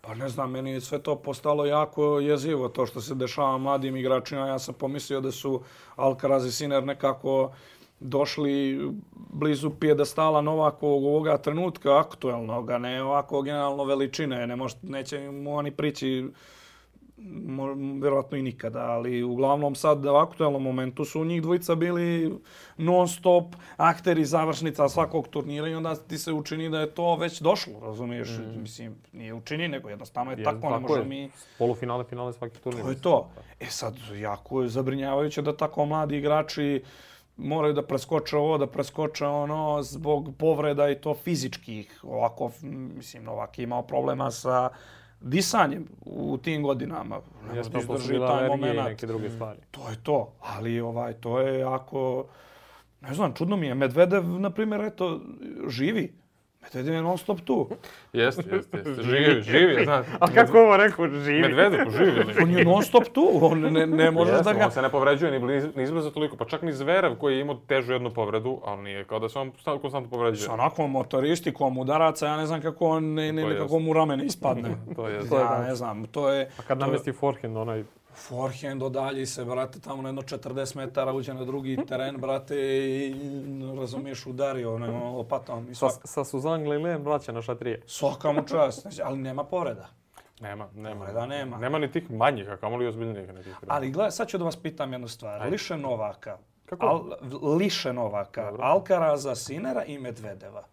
Pa ne znam, meni je sve to postalo jako jezivo, to što se dešava mladim igračima. Ja sam pomislio da su Alcaraz i Sinner nekako došli blizu pijedestala Novakovog ovoga trenutka, aktuelnog, a ne ovako generalno veličine. Neće mu oni prići vjerojatno i nikada, ali uglavnom sad u aktuelnom momentu su njih dvojica bili non-stop akteri završnica svakog turnira i onda ti se učini da je to već došlo, razumiješ? Mislim, nije učini, nego jednostavno je tako, ne možemo mi... Polufinale, finale svaki turnir. To je to. Sad, jako je zabrinjavajuće da tako mladi igrači moraju da preskoče ovo, da preskoče ono zbog povreda i to fizičkih. Ovako, mislim, Novak je imao problema sa disanjem u tim godinama. Ne može da izdrži taj moment. Neke druge stvari. To je to. Ali to je jako... Ne znam, čudno mi je. Medvedev, na primjer, živi. Medvedev je non stop tu. Jeste. Živi, znaš. A kako ovo rekao, živi? Medvedev živi. On je non stop tu, on ne možeš da ga... On se ne povređuje ni izbliza toliko, pa čak ni Zverev koji je imao težu jednu povredu, ali nije kao da se on konstantno povređuje. Sa onakvom motoristikom udaraca, ja ne znam kako on nekako mu ramene ispadne. To je. Ja ne znam, to je... A kad namesti forehand, onaj... Forehand odalji se, brate, tamo na jedno 40 metara uđe na drugi teren, brate, i razumiješ, udario onom lopatom. Sa Suzanne Lilien vraća na šatrije. Svaka mu čast, ali nema povreda. Nema. Povreda nema. Nema ni tih manjih, a kamoli ozbiljnijih nekih. Ali gledaj, sad ću da vas pitam jednu stvar. Ajde. Liše Novaka. Kako? Liše Novaka, Alcaraza, Sinera i Medvedeva.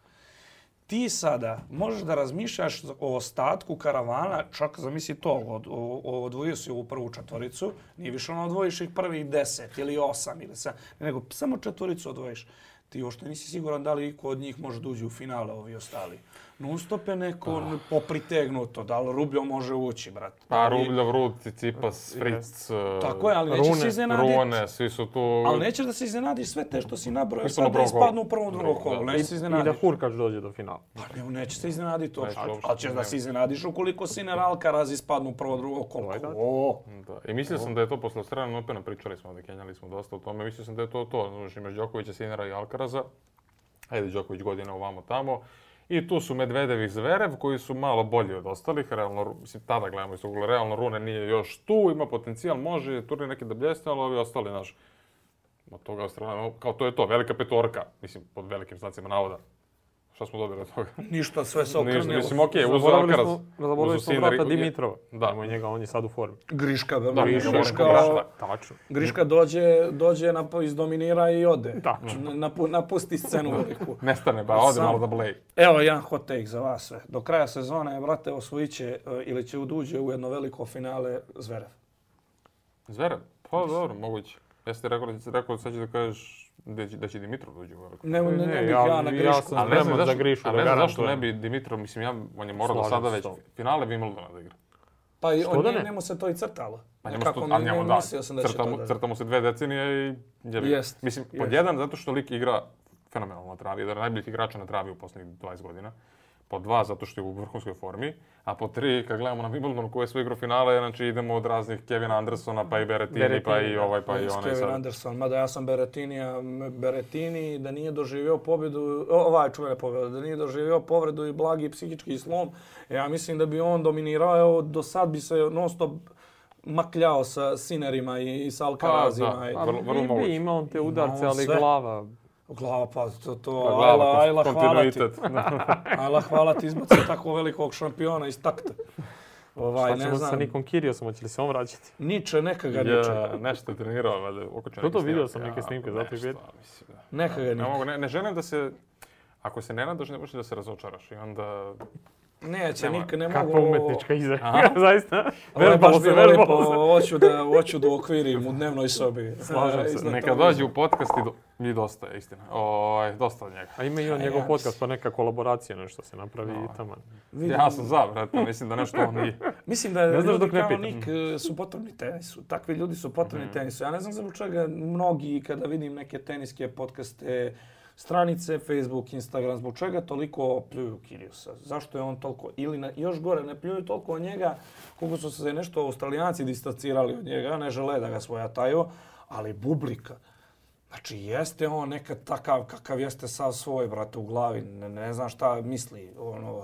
Ti sada možeš da razmišljaš o ostatku karavana, čak zamisli to, odvojio si ovu prvu četvoricu, nije više ono odvojiš ih prvih 10 ili 8 ili 7, nego samo četvoricu odvojiš. Ti uopšte nisi siguran da li iko od njih može da uđe u finale, ovi ostali. Non-stop je neko popritegnuto, da li Rubljov može ući, brate. Pa Rubljov, Rud, Tsitsipas, Fritz, tako je, ali nećeš se iznenaditi. Rune, svi su tu... Ali nećeš da se iznenadiš sve te što si nabrojao, sad da ispadnu u prvom drugom kolu. Nećeš se iznenaditi. I da Hurkač dođe do finala. Pa nećeš se iznenaditi uopšte. Ali ćeš da se iznenadiš ukoliko Sinner, Alcaraz ispadnu u prvom drugom kolu. I mislio sam da je to posle Australijan Opena, pričali smo, kenjali smo dosta o tome, mislio sam da je to. Znači, imaš Đokovića, Sinnera i Alcaraza. Ajde, Đoković godina ovamo tamo. I tu su Medvedev i Zverev koji su malo bolji od ostalih. Realno, mislim, tada gledamo iz ugla, realno Rune nije još tu, ima potencijal, može turnir neki da bljesne, ali ovi ostali, znaš, od toga Australijana, kao to je to, velika petorka, mislim, pod velikim znacima navoda. Šta smo dobili od toga? Ništa, sve se okrnilo. Mislim, okej, uzu Alcaraz. Zaboravili smo brata Dimitrova. Da, imamo njega, on je sad u formi. Griška, Griška dođe, izdominira i ode. Napusti scenu veliku. Nestane, ba, ode malo da bleji. Evo jedan hot take za vas sve. Do kraja sezone, brate, osvojit će ili će uđe u jedno veliko finale Zverev. Zverev? Pa dobro, moguće. Jeste rekao sad ćeš da kažeš da će Dimitrov dođe u veliko. Ne bih ja na Grišku. Ja sam spreman za Grišu, da garantujem. Zašto ne bi Dimitrov, mislim, on je morao do sada već finale Wimbledona da igra. Pa njemu se to i crtalo. Crta mu se 2 decenije i... Mislim, pod jedan, zato što lik igra fenomenalno na travi, jedan od najboljih igrača na travi u posljednjih 20 godina. Po 2, zato što je u vrhunskoj formi. A po 3, kad gledamo na Wimbledonu koji je sve igrao finale, znači idemo od raznih Kevina Andersona, pa i Berrettini, pa i ovaj, pa i onaj sad. Kevin Anderson, mada ja sam Berrettini da nije doživio pobjedu, da nije doživio povredu i blagi psihički slom, ja mislim da bi on dominirao, do sad bi se non stop makljao sa Sinnerima i sa Alcarazima. Vrlo moguće. Ima on te udarce, ali glava... Glava, pa ajla hvala ti. Ajla hvala ti izbacio tako velikog šampiona iz takta. Šta ćemo sa Nikom Kyrgiosom, hoće li se on vraćati? Neka ga niče. Nešto je trenirao, valjda, oko će neki vidio sam neke snimke, zato ih vidim. Neka ga niče. Ne želim da se, ako se ne nadaš, ne možeš da se razočaraš i onda... Neće, ne mogu... Kakva umetnička izreka, zaista. Ovo je baš bilo lepo, hoću da okvirim u dnevnoj sobi. Slažem se, neka dođe u podcast i dosta je, istina. Dosta od njega. A ima i on njegov podcast, pa neka kolaboracija, nešto se napravi i tamo. Ja sam za, brate, mislim da nešto on nije. Mislim da ljudi kao Nik su potrebni tenisu, takvi ljudi su potrebni tenisu. Ja ne znam zbog čega mnogi, kada vidim neke teniske podcaste, stranice, Facebook, Instagram, zbog čega toliko pljuju Kyrgiosa? Zašto je on toliko, ili još gore, ne pljuju toliko od njega, koliko su se nešto Australijanci distancirali od njega, ne žele da ga svojataju, ali bublika. Znači, jeste on nekad takav kakav jeste sav svoj, brate, u glavi, ne znam šta misli,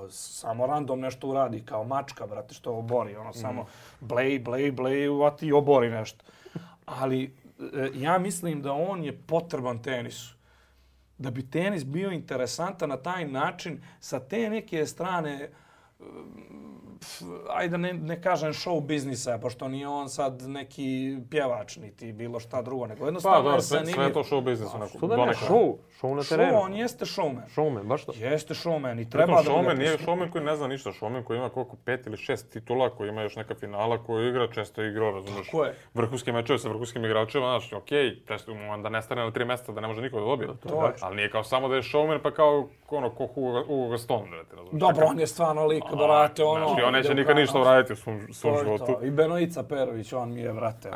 samo random nešto uradi, kao mačka, brate, što obori, samo blej, uvati i obori nešto. Ali ja mislim da on je potreban tenisu. Da bi tenis bio interesantan na taj način, sa te neke strane, ajde ne kažem show biznisa, pošto nije on sad neki pjevač, niti bilo šta drugo, nego jednostavno je zanimljiv. Sve je to show biznis. Što da ne show na terenu? Show, on jeste showman. Showman, baš to? Jeste showman i treba da ga... Showman nije showman koji ne zna ništa, showman koji ima koliko 5 ili 6 titula, koji ima još neka finala, koji igra, često igrao, razumiješ, vrhunske mečeve sa vrhunskim igračima, znaš, okej, često da ne stane na 3 mjeseca da ne može niko da dobije. Ali nije kao samo da je showman, pa kao ko Hugo Gaston, razumiješ. Dobro, on je stvarno lik, brate, Znači, on neće nikad ništa uraditi u svom životu. I Benojica Perović, on mi je, brate.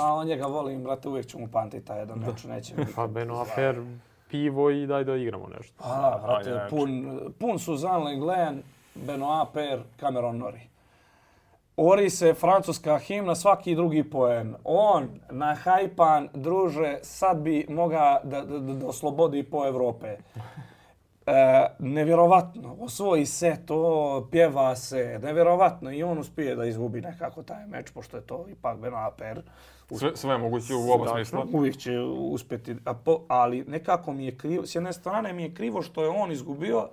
On njega volim, brate, uvijek ću mu pamtiti taj jedan meč, neće biti. Pa Beno Afer, pivo i daj da igramo nešto. Vrate, pun Suzanne Lenglen, Benoit Per, Cameron Norrie. Ori se francuska himna, svaki drugi poen. On, nahajpan, druže, sad bi moga da oslobodi po Evrope. Nevjerovatno, osvoji se to, pjeva se, nevjerovatno. I on uspije da izgubi nekako taj meč, pošto je to ipak Benoit Per. Sve je moguće u oba smisla. Uvijek će uspjeti, ali nekako mi je krivo, s jedne strane mi je krivo što je on izgubio,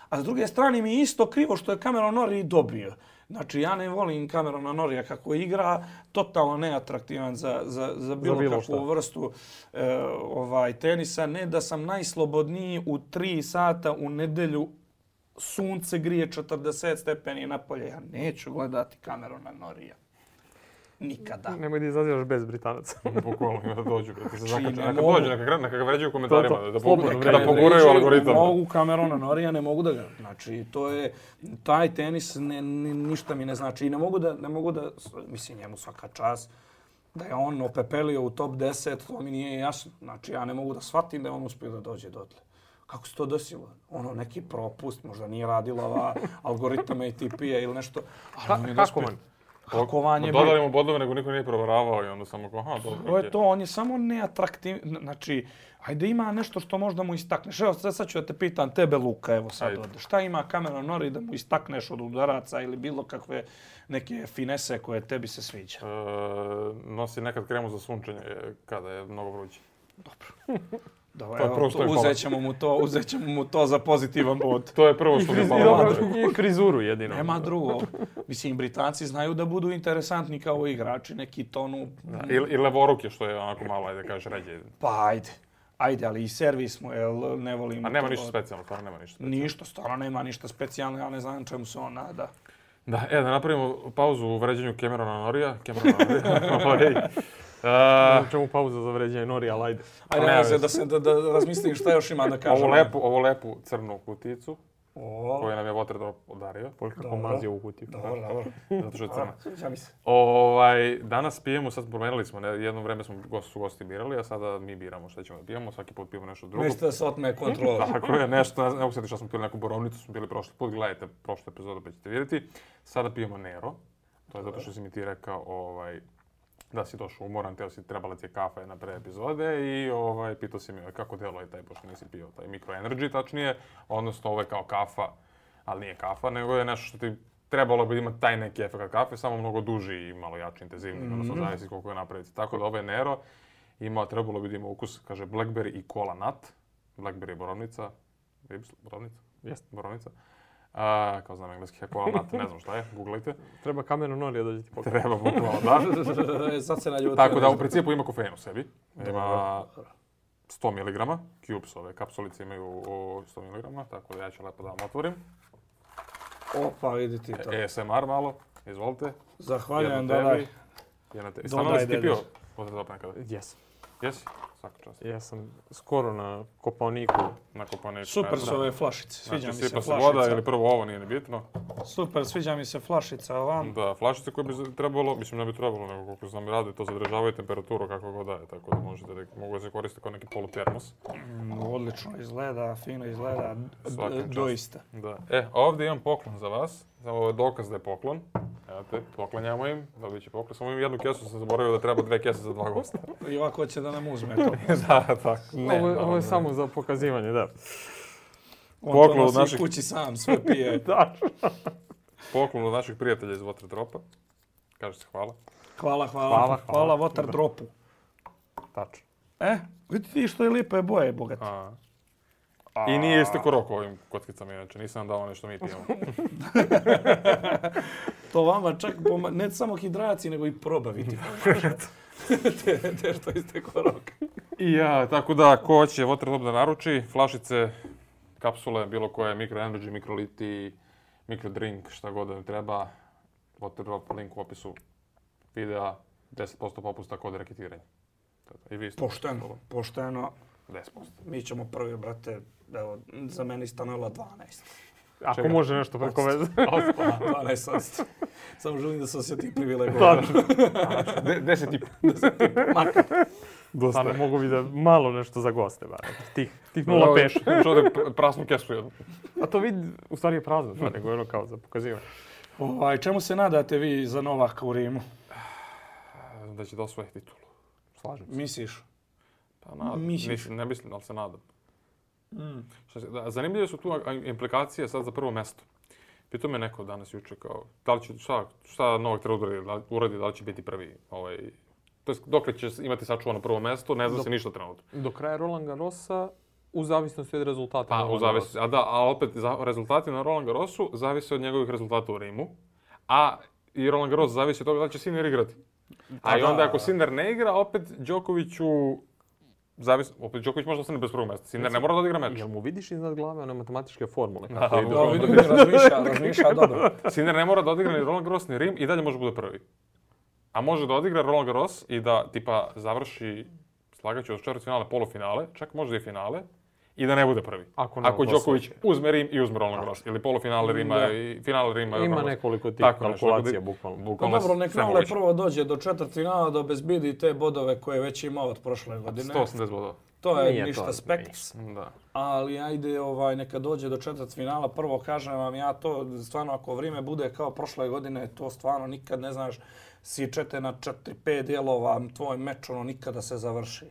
a s druge strane mi je isto krivo što je Cameron Norrie dobio. Znači, ja ne volim Camerona Norrija kako igra, totalno neatraktivan za bilo kakvu vrstu tenisa. Ne da sam najslobodniji u 3 sata u nedelju, sunce grije 40 stepeni napolje. Ja neću gledati Camerona Norrija. Nikada. Nemoj da izazivaš bez Britanaca. Bukvalno ima da dođu. Neka dođu, neka ga vređaju u komentarima. Da poguraju algoritam. Mogu Camerona Norrija, ne mogu da ga. Znači, to je, taj tenis ništa mi ne znači. I ne mogu da, mislim, njemu svaka čast, da je on opepelio u top 10, to mi nije jasno. Znači, ja ne mogu da shvatim da je on uspio da dođe dotle. Kako se to desilo? Neki propust, možda nije radila ova algoritama ATP-a ili nešto. Hakovan. Dodali mu bodove, nego niko nije proveravao i onda samo dobro. To, on je samo neatraktivan. Znači, ajde ima nešto što možda mu istakneš. Evo, sad ću da te pitam, tebe Luka, evo sad ovdje. Šta ima Cameron Norrie da mu istakneš od udaraca ili bilo kakve neke finese koje tebi se sviđa? Nosi nekad kremu za sunčanje kada je mnogo vruće. Dobro. Uzet ćemo mu to za pozitivan bod. To je prvo što mi je palo. I frizuru jedino. Nema drugo. Mislim, Britanci znaju da budu interesantni kao igrači, neki tonu. I levoruke, što je onako malo, ajde kažeš, ređe. Pa ajde, ali i servis mu, ne volim. A nema ništa specijalno, stvarno nema ništa specijalno. Ništa, stvarno nema ništa specijalno, ja ne znam čemu se on nada. Da napravimo pauzu u vređenju Camerona Norrija. Čemu pauza za vređenje Norrija, ali ajde. Ajde, da razmislim šta još ima da kažem. Ovu lepu crnu kuticu koju nam je Waterdrop podario. Kako mazio u kutiju. Dobro. Zato što je crna. Sviđa mi se. Danas pijemo, sad promenili smo, jedno vreme su gosti birali, a sada mi biramo šta ćemo da pijemo. Svaki put pijemo nešto drugo. Nešto da se otme kontrola. Tako je, nešto, ne mogu sjeti što smo pili neku borovnicu, smo bili prošli put, gledajte prošlu epizodu pa ćete vidjeti. Sada pijemo Nero, to je zato što si mi ti rekao da si došao umoran, trebala ti je kafa jedna pre epizode i pitao si mi kako djeluje taj, pošto nisi pio taj Micro Energy tačnije, odnosno ovo je kao kafa, ali nije kafa, nego je nešto što ti trebalo bi imati taj neki efekt kafe, samo mnogo duži i malo jači, intenzivni, odnosno zavisi koliko je napraviti. Tako da ovaj Nero trebalo bi da ima ukus, kaže blackberry i cola nut. Blackberry je borovnica, borovnica? Jeste, borovnica. Kao znam engleski cola nut, ne znam šta je, googlajte. Treba Cameron Norrie da ti pokaže. Treba bukvalno, da. Sad se naljutio. Tako da u principu ima kofein u sebi. Ima 100 mg, cubes ove kapsulice imaju 100 mg, tako da ja ću lepo da vam otvorim. Opa, vidi ti to. ASMR malo, izvolite. Zahvaljujem, dodaj. Stvarno li si ti pio Waterdrop nekada? Jesam. Jesi? Svaka čast. Ja sam skoro na Kopaoniku. Super su ove flašice, sviđa mi se sipa flašica. Se voda ili prvo ovo, nije ni bitno. Super, sviđa mi se flašica ovam. Da, flašice koje bi trebalo, mislim ne bi trebalo, nego koliko znam i rade, to zadržavaju temperaturu kako god daje, tako da mogu da se koriste kao neki polutermos. Odlično izgleda, fino izgleda, doista. Da. Ovdje imam poklon za vas, ovo je dokaz da je poklon. Evo te, poklanjamo im, dobit će poklon. Samo imam jednu kesu, sam zaboravio da treba 2 kese za 2 gosta. I ovako će da nam uzme to. Da, tako. Ovo je samo za pokazivanje, da. On to nosi kući sam, sve pije. Da. Poklon od naših prijatelja iz Waterdropa. Kaže se hvala. Hvala Waterdropu. Tačno. Vidite što je lijepe boje, bogati. I nije istekao rok ovim kockicama, inače nisam dao nešto mi pijemo. To vama čak, ne samo hidraciji, nego i probaviti. Te što istekao rok. Tako da, ko hoće Waterdrop da naruči, flašice, kapsule, bilo koje, Micro Energy, Mikroliti, Mikrodrink, šta god da im treba, Waterdrop, link u opisu videa, 10% popusta kod reketiranja. I vi ste pošteno. 10%. Mi ćemo prvi, brate, evo, za meni stanula 12. Ako može nešto preko veze. 12%. Samo želim da se osjetim privilegovan. 10,5. Makar. Stvarno mogu vidjeti malo nešto za goste. Tih 0,5. Čovjek prasnu kesu jednu. A to vidi, u stvari je prazno, nego ono kao za pokazivanje. Čemu se nadate vi za Novaka u Rimu? Da će da osvoji titulu. Slažem se. Misliš? Pa ne mislim, ali se nadam. Zanimljive su tu implikacije sad za prvo mjesto. Pitao me neko danas juče kao, da li će, šta Novak treba uradi, da li će biti prvi. To jest, dokle će imati sačuvano prvo mjesto, ne zna se ništa trenutno. Do kraja Roland Garrosa, u zavisnosti od rezultata. A opet, rezultati na Roland Garrosu zavise od njegovih rezultata u Rimu. A i Roland Garros zavisi od toga da li će Sinner igrati. A i onda ako Sinner ne igra, opet Djokovic može ostane bez prvog mjesta. Sinner ne mora da odigra meč. Jel mu vidiš iznad glave one matematičke formule? Vidim, razmišlja dobro. Sinner ne mora da odigra ni Roland Garros ni Rim i dalje može bude prvi. A može da odigra Roland Garros i da tipa završi, slagaću od četvrtfinale, polufinale, čak možda i finale, i da ne bude prvi. Ako Djokovic uzme Rim i uzme Roland Garros. Ili polufinale Rima i finale Rima. Ima nekoliko tih kalkulacija, bukvalno. Dobro, nek Nole prvo dođe do četvrtfinala da obezbedi te bodove koje već ima od prošle godine. 180 bodova. To je ništa spekts. Ali ajde, neka dođe do četvrtfinala. Prvo kažem vam, ja to stvarno ako vrijeme bude kao prošle godine, to stvarno nikad ne znaš, sičete na 4-5 dijelova, tvoj meč nikada se završi.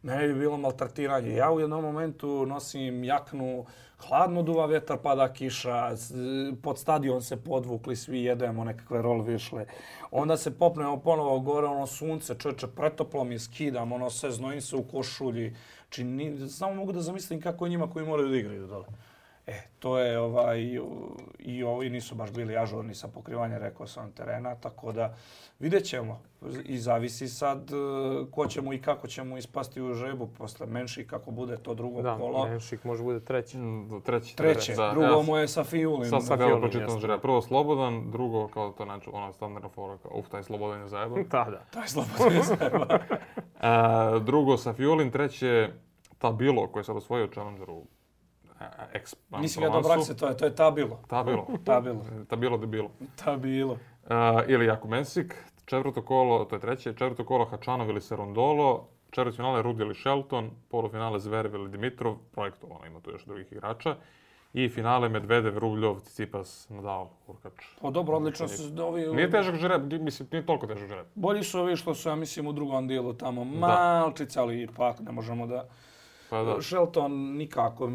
Mene bi bilo maltretiranje. Ja u jednom momentu nosim jaknu, hladno duva vjetar, pada kiša, pod stadion se podvukli, svi jedemo nekakve rolvišle. Onda se popnemo ponovo gore, sunce, čovječe, pretoplo mi skidam, sve znojim se u košulji. Samo mogu da zamislim kako je njima koji moraju da igraju dole. To je i ovi nisu baš bili ažurni sa pokrivanjem, rekao sam, terena, tako da vidjet ćemo. I zavisi sad ko će mu i kako će mu ispasti u žebu posle Menšik, kako bude to drugo kolo. Da, Menšik može bude treći. Treće, drugo mu je sa Fijulim. Prvo Slobodan, drugo kao to znači ona standardna fora, kao taj Slobodan je zajeban. Da. Taj Slobodan je zajeban. Drugo sa Fijulim, treće Tabilo koji je sad osvojio Challengeru. Nisi ga do Brakse, to je Tabilo. Tabilo. Ili Jakub Mensik, četvrto kolo, to je treće, četvrto kolo Hačanov ili Serundolo, četvrtfinale Rudi ili Shelton, polufinale Zverev ili Dimitrov, projektovano, ima tu još drugih igrača, i finale Medvedev, Rubljov, Tsitsipas, Nadal, Hurkač. Dobro, odlično su ovi... Nije težak žreb, mislim, nije toliko težak žreb. Bolji su ovi što su, ja mislim, u drugom dijelu tamo malčice, ali ipak ne možemo da... Shelton nikako,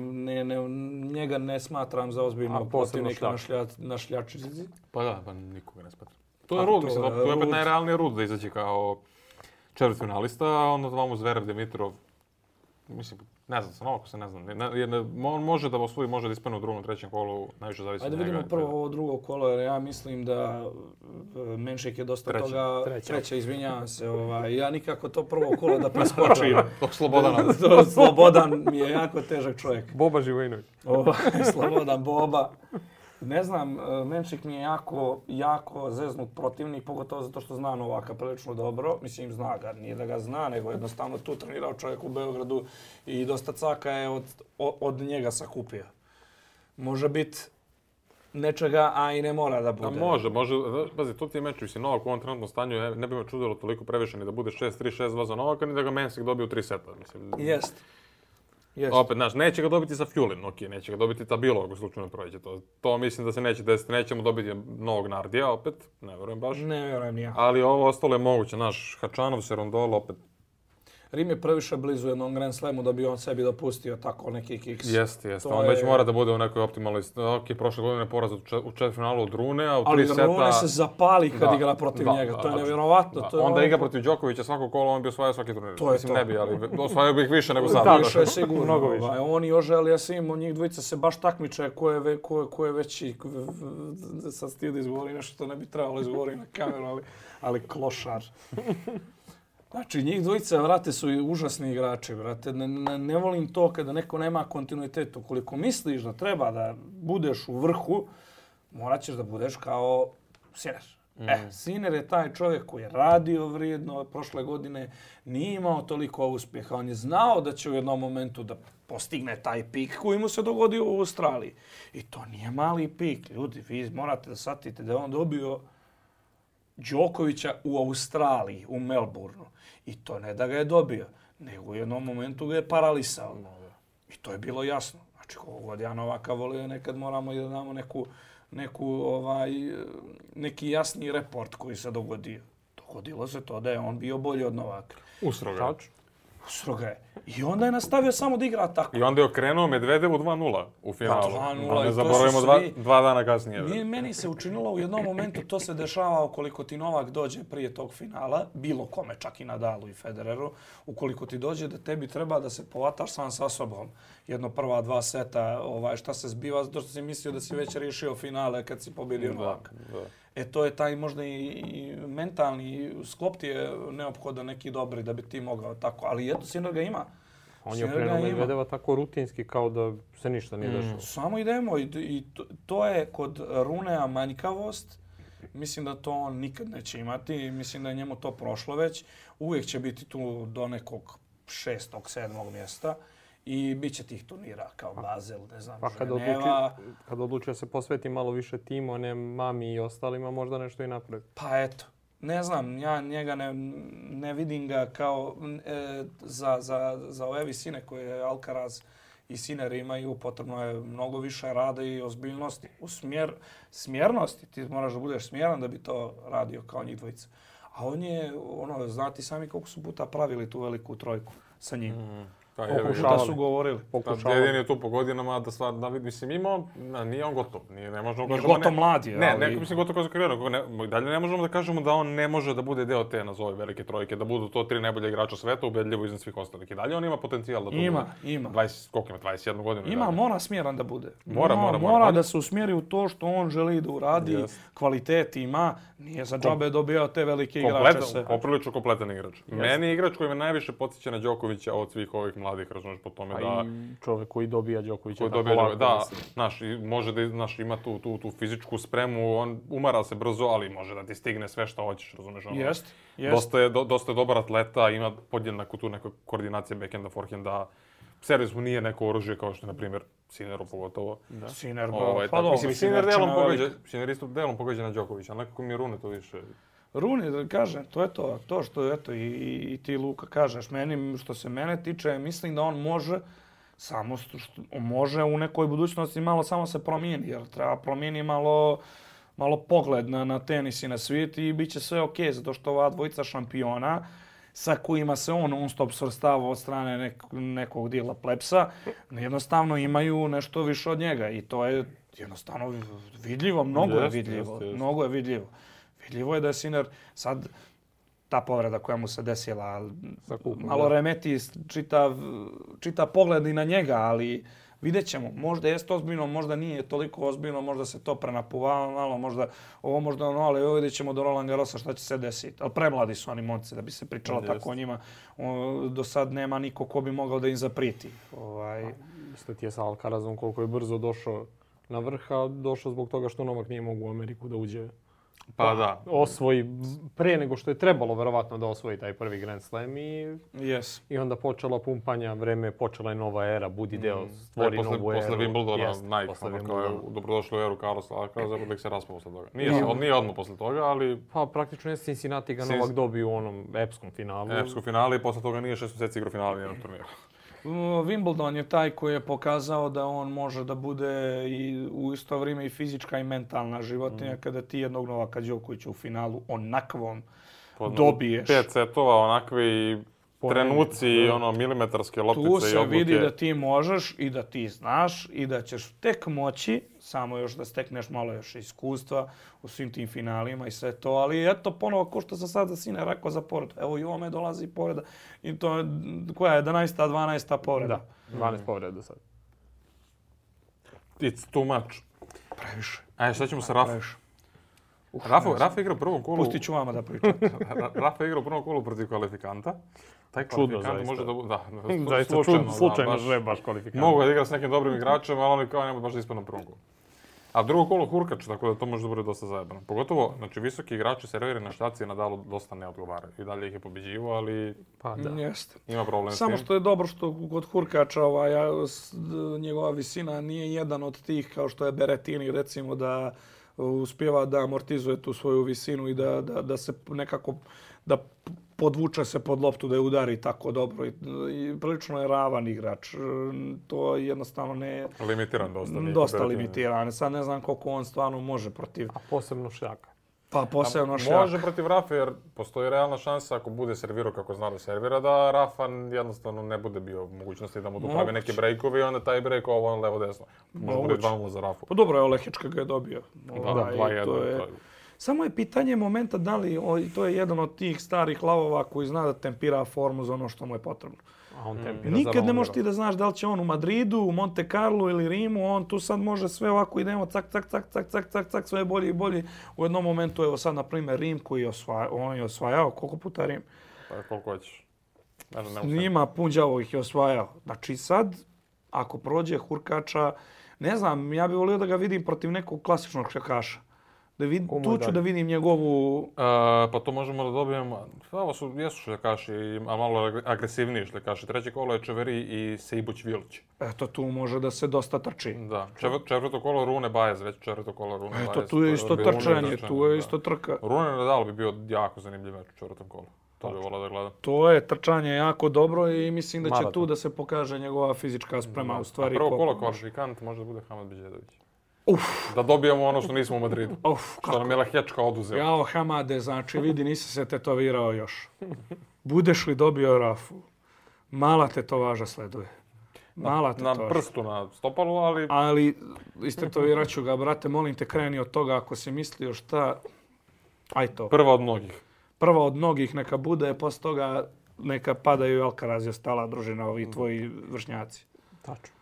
njega ne smatram za ozbiljnog protivnika na šljačici. Pa nikoga ne smatram. To je Rud, mislim, to je opet najrealniji Rud da izaći kao četvrtfinalista, a onda zvamo Zverev, Dimitrov, mislim, ne znam se, Novako se ne znam. On može da osvoji, može da ispane u drugom, trećem kolu, najviše zavisi od njega. Ajde vidimo prvo ovo drugo kolo, jer ja mislim da Menšik je dosta toga... Treće, izvinjavam se. Ja nikako to prvo kolo da preskočim. Slobodan mi je jako težak čovjek. Boba Živojinović. Slobodan Boba. Ne znam, Menšik mi je jako zeznut protivnik, pogotovo zato što zna Novaka prilično dobro. Mislim, zna ga, nije da ga zna, nego jednostavno tu trenirao čovjek u Beogradu i dosta caka je od njega sakupio. Može biti nečega, a i ne mora da bude. Može. Pazi, to ti je meč, mislim, Novak u ovom trenutnom stanju ne bi me čudilo toliko previše ni da bude 6-3, 6-2 za Novaka, ni da ga Mensik dobije u 3 seta. Jest. Opet, znaš, neće ga dobiti sa Fjulin, neće ga dobiti Tabilo ako slučajno prođe. To mislim da se neće desiti, nećemo dobiti novog Nardija opet, ne vjerujem baš. Ne vjerujem ni ja. Ali ovo ostalo je moguće, znaš, Hačanov, Serundolo opet. Rim je previše blizu jednom Grand Slamu da bi on sebi dopustio tako neki kiks. Jeste. On već mora da bude u nekoj optimalnoj... prošle godine je poraz u četvrtfinalu od Rune, a u 3 seta... Ali Rune se zapali kad igra protiv njega, to je nevjerovatno. Onda igra protiv Đokovića svako kolo, on bi osvajao svaki turnir. Mislim, ne bi, ali osvajao bi ih više nego sada. Više je sigurno. Oni oželi, ja sam imao, njih dvojica se baš takmiče ko je veći... Sad stio da izgovori nešto što ne bi trebalo izgovori na kameru, ali klošar. Znači, njih dvojica, vrate, su užasni igrači, vrate. Ne volim to kada neko nema kontinuitet. Ukoliko misliš da treba da budeš u vrhu, morat ćeš da budeš kao Sinner. Sinner je taj čovjek koji je radio vrijedno prošle godine, nije imao toliko uspjeha. On je znao da će u jednom momentu da postigne taj pik koji mu se dogodio u Australiji. I to nije mali pik. Ljudi, vi morate da shvatite da je on dobio Đokovića u Australiji, u Melbourneu. I to ne da ga je dobio, nego u jednom momentu ga je paralisao. I to je bilo jasno. Znači, kogod ja Novaka volio, nekad moramo da damo neki jasni report koji se dogodio. Dogodilo se to da je on bio bolji od Novaka. Usro ga je. I onda je nastavio samo da igra tako. I onda je okrenuo Medvedevu 2:0 u finalu. Pa 2:0. Ne zaboravimo dva dana kasnije. Meni se učinilo u jednom momentu, to se dešava ukoliko ti Novak dođe prije tog finala, bilo kome, čak i Nadalu i Federeru, ukoliko ti dođe da tebi treba da se povataš sam sa sobom. Jedno prva 2 seta, šta se zbiva, zato što si mislio da si već riješio finale kad si pobjedio Novaka. To je taj možda i mentalni sklop ti je neophodan neki dobri da bi ti mogao tako. Ali eto, Sinner ga ima. On je okrenuo Medvedeva tako rutinski kao da se ništa nije dešalo. Samo idemo i to je kod Runea manjkavost. Mislim da to on nikad neće imati. Mislim da je njemu to prošlo već. Uvijek će biti tu do nekog 6. 7. mjesta. I bit će tih turnira kao Basel, ne znam, Ženeva. Kad odluči da se posveti malo više timu, ne mami i ostalima, možda nešto i napravi. Pa eto, ne znam, ja njega ne vidim ga kao za ove visine koje Alcaraz i Sinner imaju, potrebno je mnogo više rada i ozbiljnosti. U smjernosti, ti moraš da budeš smjeran da bi to radio kao njih dvojica. A on je, znati sami koliko su puta pravili tu veliku trojku sa njim. Šta su govorili? Jedin je tu po godinama da stvar, mislim, nije on gotov. Ne možemo nije gotov mlad je. Ne, mislim gotov kao za karijeru. Dalje ne možemo da kažemo da on ne može da bude deo te nazove velike trojke, da budu to 3 najbolja igrača sveta, ubedljivo iznad svih ostalih. I dalje on ima potencijal da to ima. Koliko ima? 21 godinu. Ima, mora smjeran da bude. Mora da se usmjeri u to što on želi da uradi, kvalitet ima, nije za džabe dobio te velike igrače sve. Poprilično kompletan igrač. Meni je igrač koji me najviše podsjeća na Đokovića od svih ovih mladih, razumiješ, po tome da... čovjek koji dobija Đokovića tako lako. Da, može da ima tu fizičku spremu, on umara se brzo, ali može da ti stigne sve što hoćeš, razumiješ? Jest. Dosta je dobar atleta, ima podjednaku tu neku koordinacije backhanda, forehanda. Servis mu nije neko oružje kao što je, na primjer, Sinneru pogotovo. Sinner, Sinner isto delom pogađa na Đokovića, ali nekako mi je Rune to više... Rune, kažem, to je to. To što eto i ti Luka kažeš. Što se mene tiče, mislim da on može, samo može u nekoj budućnosti malo samo se promijeni, jer treba promijeni malo pogled na tenis i na svijet i bit će sve okej, zato što ova dvojica šampiona sa kojima se on non-stop svrstava od strane nekog dijela plepsa, jednostavno imaju nešto više od njega i to je jednostavno vidljivo, mnogo je vidljivo. Vidljivo je da je Sinner sad ta povreda koja mu se desila, malo remeti čitav pogled i na njega, ali vidjet ćemo. Možda jeste ozbiljno, možda nije toliko ozbiljno, možda se to prenapuvalo malo, možda ali vidjet ćemo do Roland Garrosa šta će se desiti. Ali premladi su oni momci da bi se pričalo tako o njima. Do sad nema niko ko bi mogao da im zapriti. Isto ti je sa Alcarazom koliko je brzo došao na vrha, došao zbog toga što Novak nije mogao u Ameriku da uđe. Pa da. Osvoji prije nego što je trebalo verovatno da osvoji taj prvi Grand Slam i onda počela pumpanja, počela je nova era, budi deo, stvori novu eru. Posle Wimbledona, Nike, kao je dobrodošli u eru Carlosa Alcaraza, uvijek se raspao posle toga. Nije odmah posle toga, ali... Pa praktično je Cincinnati ga Novak dobio u onom epskom finalu. Epskom finalu i posle toga nije 6 mjeseci igrao finale nijednog turnira. Wimbledon je taj koji je pokazao da on može da bude i u isto vrijeme i fizička i mentalna životinja kada ti jednog Novaka Đokovića u finalu onakvom dobiješ. 5 setova, onakvi trenuci i milimetarske loptice i odluke. Tu se vidi da ti možeš i da ti znaš i da ćeš tek moći, samo još da stekneš malo još iskustva u svim tim finalima i sve to. Ali eto ponovo, ko što sam sad za Sinner rekao za povredu. Evo i ovome dolazi povreda. I to je, koja je 11. 12. povreda? Da, 12 povreda sad. It's too much. Previše. Ajde, šta ćemo sa Rafa? Rafa igra u prvom kolu... Pustit ću vama da pričam. Rafa igra u prvom kolu protiv kvalifikanta. Taj kvalifikant može da bude... Zaista slučajno že baš kvalifikant. Mogu da igra s nekim dobrim igračem, ali oni kao nema baš da ispadne na prvom kolu. A drugo kolo Hurkač, tako da to može da bude dosta zajebano. Pogotovo, visoki igrači serveri na štaci Nadalu dosta ne odgovaraju. I dalje ih je pobeđivo, ali ima problem s tim. Samo što je dobro što kod Hurkača njegova visina nije jedan od tih kao što je Berrettini, recimo da uspijeva da amortizuje tu svoju visinu i da se nekako da podvuče se pod loptu, da je udari tako dobro. I prilično je ravan igrač. To je jednostavno ne... Limitiran dosta. Dosta limitiran. Sad ne znam koliko on stvarno može protiv... A posebno Šljaka. Pa posebno Šljaka. Može protiv Rafa jer postoji realna šansa ako bude servirao kako zna da servira, da Rafa jednostavno ne bude bio u mogućnosti da mu tu pravi neki breakovi i onda taj break ovo levo-desno. Može bude 2-0 za Rafu. Pa dobro, Lehička ga je dobio. Da, 2-1. Samo je pitanje momenta da li, to je jedan od tih starih lavova koji zna da tempira formu za ono što mu je potrebno. Nikad ne možeš ti da znaš da li će on u Madridu, u Monte Carlo ili Rimu, on tu sad može sve ovako idemo cak, sve bolje i bolje. U jednom momentu, evo sad, na primjer, Rim koji on je osvajao, koliko puta Rim? Pa koliko hoćeš. Njima Punđavo ih je osvajao. Znači sad, ako prođe Hurkača, ne znam, ja bih volio da ga vidim protiv nekog klasičnog šljakaša. Tu ću da vidim njegovu... Pa to možemo da dobijemo... Ovo jesu šljakaši, a malo agresivniji šljakaši. Treće kolo je Čeveri i Sejbuć Vilić. Eto, tu može da se dosta trči. Da. Četvrto kolo Rune Bajez, već četvrto kolo Rune Bajez. Eto, tu je isto trčanje, tu je isto trka. Rune Nadal bi bio jako zanimljiv meč u četvrtom kolu. To bi volao da gledam. To je trčanje jako dobro i mislim da će tu da se pokaže njegova fizička sprema u stvari. Prvo kolo kvalifikant može da bude Hamad Beđedović. Da dobijemo ono što nismo u Madridu. Što nam je Lahečka oduzeo. Jao, Hamade, znači vidi, nisi se tetovirao još. Budeš li dobio Rafu, mala tetovaža sleduje. Mala tetovaža. Na prstu, na stopalu, ali... Ali istetovirat ću ga, brate, molim te, kreni od toga ako si mislio šta... Aj to. Prva od mnogih. Prva od mnogih neka bude, posle toga neka padaju i Alcaraz i ostala družina, ovi tvoji vršnjaci. Tačno.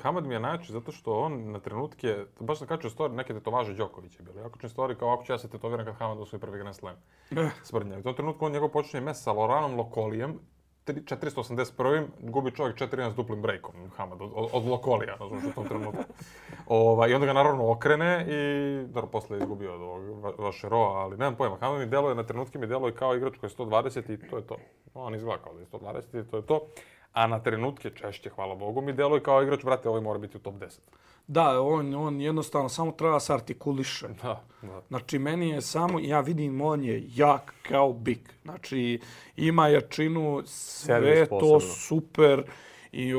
Hamad mi je najjači zato što on na trenutke, baš sam kačio story, neke tetovaže Đokovića bili. Ja kačim story kao ako ću ja se tetoviram kad Hamad osvoji prvi Grand Slam. Sprdnja. U tom trenutku on njegov počinje mes sa Loranom Lokolijem, 481. gubi čovjek 4-1 s duplim breakom, Hamad, od Lokolija, znači u tom trenutku. I onda ga naravno okrene i, dobro, posle je izgubio od ovog Vašeroa, ali nemam pojma. Hamad mi deluje, na trenutke mi deluje kao igrač koji je 120 i to je to. On izgleda kao da je 120 i to je to. A na trenutke češće, hvala Bogu, mi deluje kao igrač, brate, ovaj mora biti u top 10. Da, on jednostavno samo treba se artikuliše. Da. Znači, meni je samo, ja vidim, on je jak kao bik. Znači, ima jačinu, sve to super. I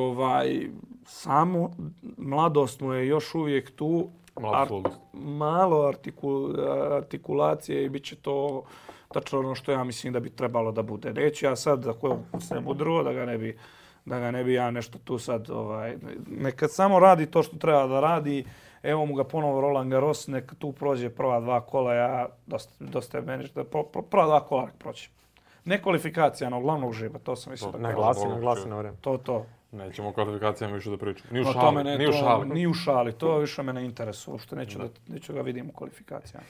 samo mladost mu je još uvijek tu. Malo artikulacije i bit će to tačno ono što ja mislim da bi trebalo da bude. Neću ja sad, ako se mudruo, da ga ne bi ja nešto tu sad, neka samo radi to što treba da radi. Evo mu ga ponovo Roland Garros, neka tu prođe prva dva kola, ja dosta je meni, prva dva kola nek proći. Ne kvalifikacija, no glavnog živa, to sam mislio da naglasi na vreme. To. Nećemo o kvalifikacijama više da pričamo. Ni u šali, to više me ne interesuje, uopšte neću ga vidim u kvalifikacijama.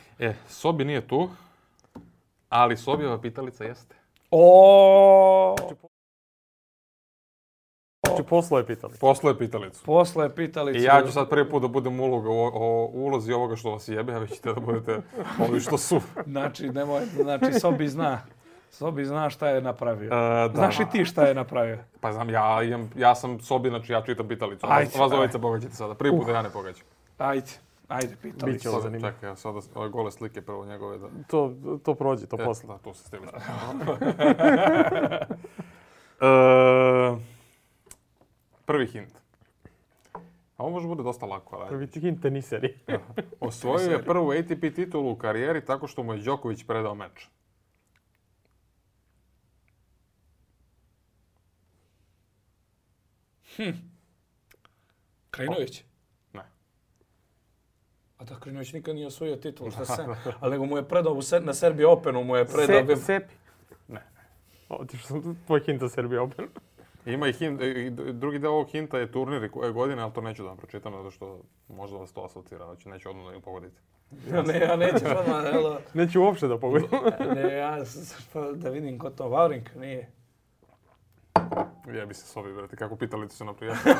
Sobi nije tu, ali Sobijeva pitalica jeste. Poslao je pitalicu. Poslao je pitalicu. I ja ću sad prvi put da budem o ulozi ovoga što vas jebe, a vi ćete da budete ovi što su. Znači, Sobi zna šta je napravio. Znaš i ti šta je napravio? Pa znam, ja sam Sobi, znači ja čitam pitalicu. Vas dvojica pogađate sada. Prvi put da ja ne pogađam. Ajde, pitalicu. Biće ovo zanimljivo. Čekaj, sada ove gole slike prvo njegove da... To prođe, to posle. Da, to se stigli. Prvi hint. A ovo može bude dosta lako. Prvi hint teniseri. Osvojio je prvu ATP titulu u karijeri tako što mu je Đoković predao meč. Krajinović? Ne. A da, Krajinović nikad nije osvojio titul, ali nego mu je predao na Serbia Openu, mu je predao... Sepi? Ne. Otišao sam tvoj hint za Serbia Open. Ima i hint, drugi deo ovog hinta je turnir koje godine, ali to neću da vam pročitam, zato što možda vas to asocira, znači neću odmah da im pogodite. Ja nećeš odmah, neću uopšte da pogodim. Da vidim ko to, Vavrink, nije. Jebi se Sobi, brate, kako pitalicu se naprijatno.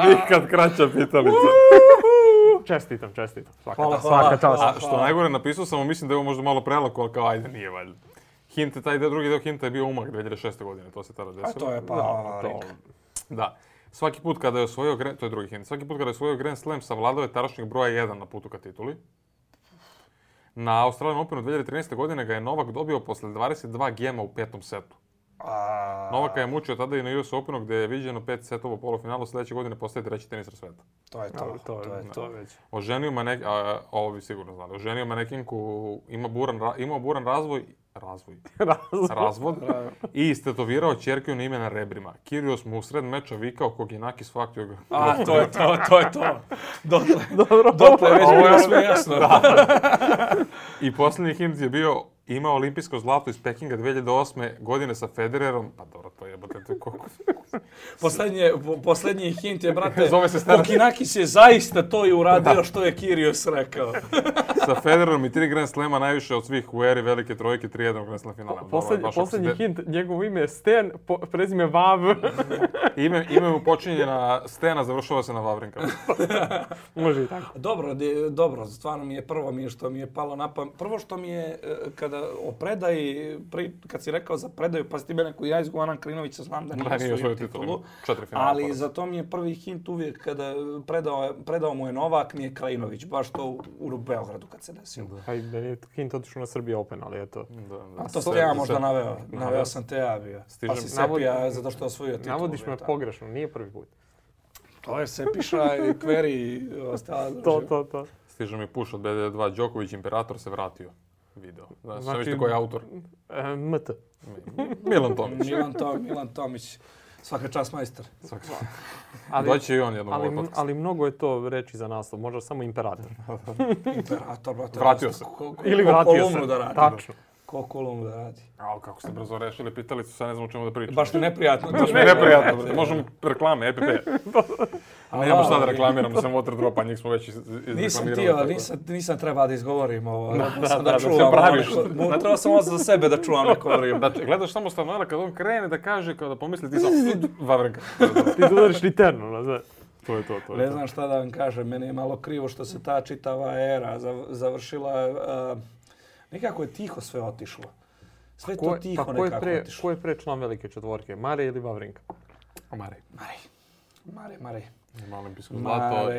Nikad kraća pitalica. Čestitam. Svaka čast. A što najgore napisao sam, mislim da je ovo možda malo prelako, ali kao ajde, nije valjda. Drugi deo hinta je bio Umag 2006. godine, to se tada desilo. A to je Vavrink. Da. Svaki put kada je osvojio to je drugi hint. Svaki put kada je osvojio Grand Slam savladao je tadašnjeg broja 1 na putu ka tituli. Na Australian Openu 2013. godine ga je Novak dobio posle 22 gema u 5. setu. Novaka je mučio tada i na US Openu gdje je viđeno 5 setova u polufinalu, sljedeće godine postaje treći tenisar sveta. To je to već. Oženio ovo bi sigurno znali, oženio manekinku, imao buran razvod i istetovirao ćerku na ime na rebrima. Kyrgios mu u sred meča vikao Koginakis faktio ga. To je to. Dotle već bilo sve jasno. I posljednji hint je bio imao olimpijsko zlato iz Pekinga 2008. godine sa Federerom. Pa dobro, to jebote koliko. Posljednji hint je, brate, Koginakis je zaista to i uradio što je Kyrgios rekao. Sa Federerom i 3 Grand Slema najviše od svih u eri velike trojke, 3-1 Grand Slam finala. Posljednji hint, njegovo ime je Sten, prezime Vav. Ime mu počinje na Stena, završava se na Vavrinka. Može i tako. Dobro, stvarno prvo mi je što mi je palo na pamet. Prvo što mi je, kada o predaji, kad si rekao za predaju, pa si ti mene koji ja izgovaram Krinovića, znam da nije osvojio titulu. Ali za to mi je prvi hint uvijek kada predao mu je Novak, nije Krajinović, baš to u Beogradu kad se desilo. Da je hint otišao na Srbija Open, ali eto. A to ste ja možda naveo. Naveo sam te ja bio. Pa si Sepija zato što je osvojio titulu. Navodiš me pogrešno, nije prvi put. To je Sepiša i Kveri i ostala. To. Stiže mi push od BD2, Đoković Imperator se vratio. Video. Znači, vidite koji je autor? MT. Milan Tomić. Milan Tomić. Svaka čast majstor. Doći i on jednom ovoj podcast. Ali mnogo je to reći za naslov. Možda samo Imperator. Imperator, brate. Vratio se. Ili vratio se. Tačno. Ko Kolumbu da radi. Kako ste brzo rešili pitalicu, sad ne znam o čemu da pričam. Baš mi neprijatno. Možemo reklame, EPP. Nemamo šta da reklamiramo, sam water dropa, njih smo već izreklamirali. Nisam trebao da izgovorim ovo. Da čuvam. Trebao sam ovo za sebe da čuvam neko vrijeme. Gledaš samo Stanoela kad on krene da kaže, kada pomisli ti sam Vavrinka. Ti udariš literno, znaš. To je to. Ne znam šta da vam kažem, meni je malo krivo što se ta čitava era završila. Nekako je tiho sve otišlo. Sve to tiho nekako otišlo. Ko je pre član velike četvorke? Mare ili Vavrinka? Mare. Ima olimpijsko zlato,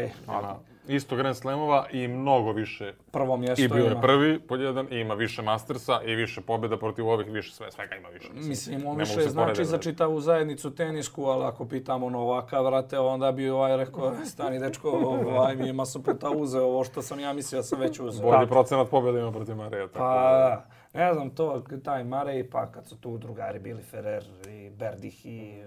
isto Grand Slamova i mnogo više. Prvo mjesto i bio je prvi pod jedan, i ima više Mastersa i više pobjeda protiv ovih, više svega ima više. Mislim, on više znači za čitavu zajednicu tenisku, ali ako pitamo Novaka, vrate, onda bi rekao, stani dečko, mi je masu puta uzeo ovo što sam ja mislio da sam već uzeo. Bolji procenat pobjeda ima protiv Mareja. Pa, ne znam to, taj Marej, pa kad su tu drugari bili Ferrer i Berdih i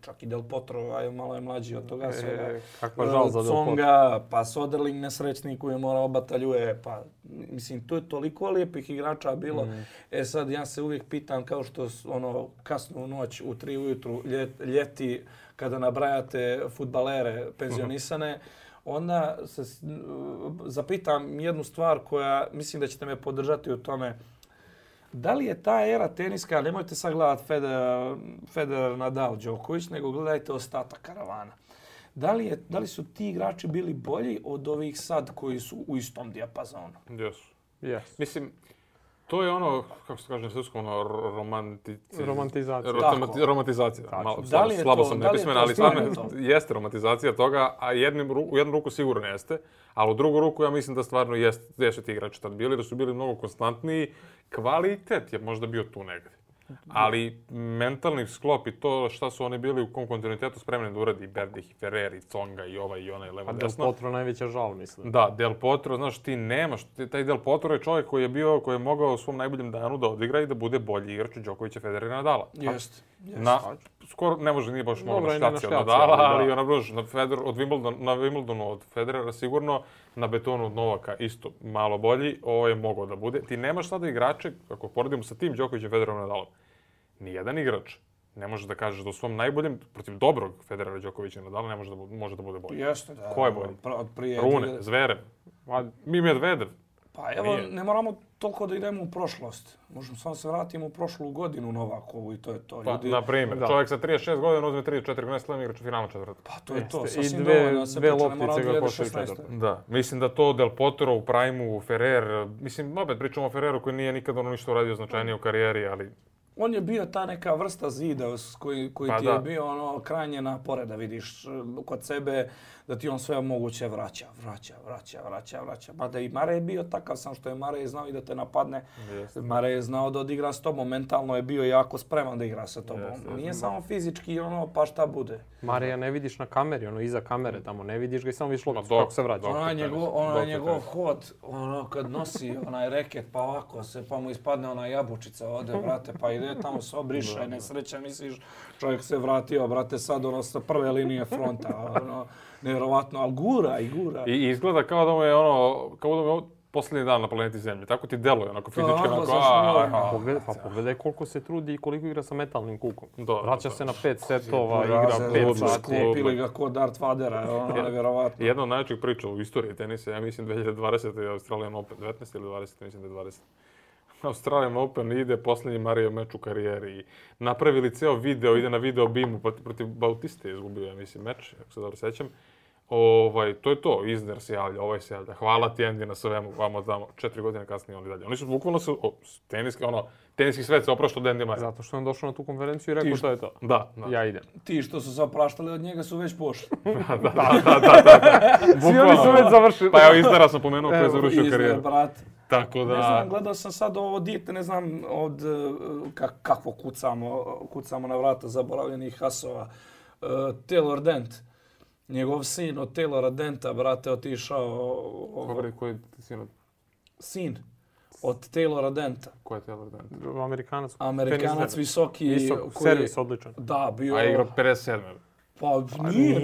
čak i Del Potro, malo je mlađi od toga svega. Kakva žal za Del Potro. Songa, pa Soderling nesrećnik koji je morao bataljuje, pa mislim, tu je toliko lijepih igrača bilo. Sad ja se uvijek pitam kao što kasnu noć u 3 ujutru ljeti kada nabrajate fudbalere penzionisane, onda se zapitam jednu stvar koja mislim da ćete me podržati u tome. Da li je ta era teniska, nemojte sad gledati Federer, Nadal, Đoković, nego gledajte ostatak karavana. Da li su ti igrači bili bolji od ovih sad koji su u istom dijapazonu? Yes. Mislim, to je kako se kaže na srpskom, romantizacija. Romantizacija. Slabo sam nepismen, ali stvarno jeste romantizacija toga, a u jednu ruku sigurno jeste, ali u drugu ruku ja mislim da stvarno jesu ti igrači tad bili, da su bili mnogo konstantniji. Kvalitet je možda bio tu negdje. Ali mentalni sklop i to šta su oni bili u kom kontinuitetu spremni da uradi Berdih i Ferrer i Tsonga i ovaj i onaj levo desno. Del Potro najveća žal, mislim. Da, Del Potro, znaš, ti nemaš. Taj Del Potro je čovjek koji je mogao u svom najboljem danu da odigra i da bude bolji igrač od Đokovića, Federera i Nadala. Jeste. Skoro ne može, nije baš mogao na štaci od Nadala, ali od Wimbledonu od Federera sigurno, na betonu od Novaka isto malo bolji, ovo je mogao da bude. Ti nemaš sada igrače, ako poredimo sa tim Đokovićem, Federerom i Nadalom, nijedan igrač ne može da kažeš da u svom najboljem, protiv dobrog Federera, Đokovića i Nadala, ne može da bude bolji. Jeste, da. Ko je bolji? Rune, Zverev, Medvedev. Pa evo, ne moramo toliko da idemo u prošlost. Možemo samo se vratimo u prošlu godinu Novakovu i to je to. Pa, na primjer, čovjek sa 36 godina uzme 3-4 Grand Slam igrač u finalu četvrta. Pa to je to, sasvim i dovoljno. dve loptice ga košaju četvrta. Da, mislim da to Del Potro u Prime-u, Ferrer, mislim, opet pričamo o Ferreru koji nije nikad ništa uradio značajnije u karijeri, ali On je bio ta neka vrsta zida koji ti je bio ono krajnje napore da vidiš kod sebe da ti on sve moguće vraća. Mada i Marej je bio takav sam što je Marej znao i da te napadne. Marej je znao da odigra s tobom, mentalno je bio jako spreman da igra sa tobom. Nije samo fizički ono pa šta bude. Mareja ne vidiš na kameri, ono iza kamere tamo, ne vidiš ga i samo vidiš loptu kako se vraća. Njegov hod, ono kad nosi onaj reket pa ovako se, pa mu ispadne ona jabučica ode, brate, pa ide tamo se obriše, nesreća, misliš, čovjek se vratio, brate, sad ono sa prve linije fronta, ono, nevjerovatno, ali gura. I izgleda kao da mu je posljednji dan na planeti Zemlji. Tako ti deluje, onako fizički, Pogledaj koliko se trudi i koliko igra sa metalnim kukom. Vraća se na 5 setova, igra 5 sati. Sklopili ga kod Darth Vadera, ono nevjerovatno. Jedna od najvećih priča u istoriji tenisa, ja mislim 2020. je Australian Open, 19 ili 20, mislim da je 20. Australian Open ide posljednji Marijev meč u karijeri. Napravili ceo video, ide na video Beamu protiv Bautiste, izgubio ja mislim meč, ako se dobro sećam. To je to, Isner se javlja, ovaj se javlja. Hvala ti Andy na svemu, vamo tamo, 4 godine kasnije oni dalje. Oni su bukvalno teniski svet se oprašta od Andy Murray. Zato što on došao na tu konferenciju i rekao što je to. Da. Ja idem. Ti što su se opraštali od njega su već pošli. Da. Svi oni su već završili. Pa evo Isnera sam pomenuo koji je završio karijeru. Tako da... Ne znam, gledao sam sad ovo dijete, ne znam od kako kucamo na vrata zaboravljenih hasova. Taylor Dent. Njegov sin od Taylora Denta, brate, otišao... Koji je sin? Sin od Taylora Denta. Ko je Taylor Dent? Amerikanac visoki. Visok, servis odličan. Da, bio... A igra 57. Pa nije,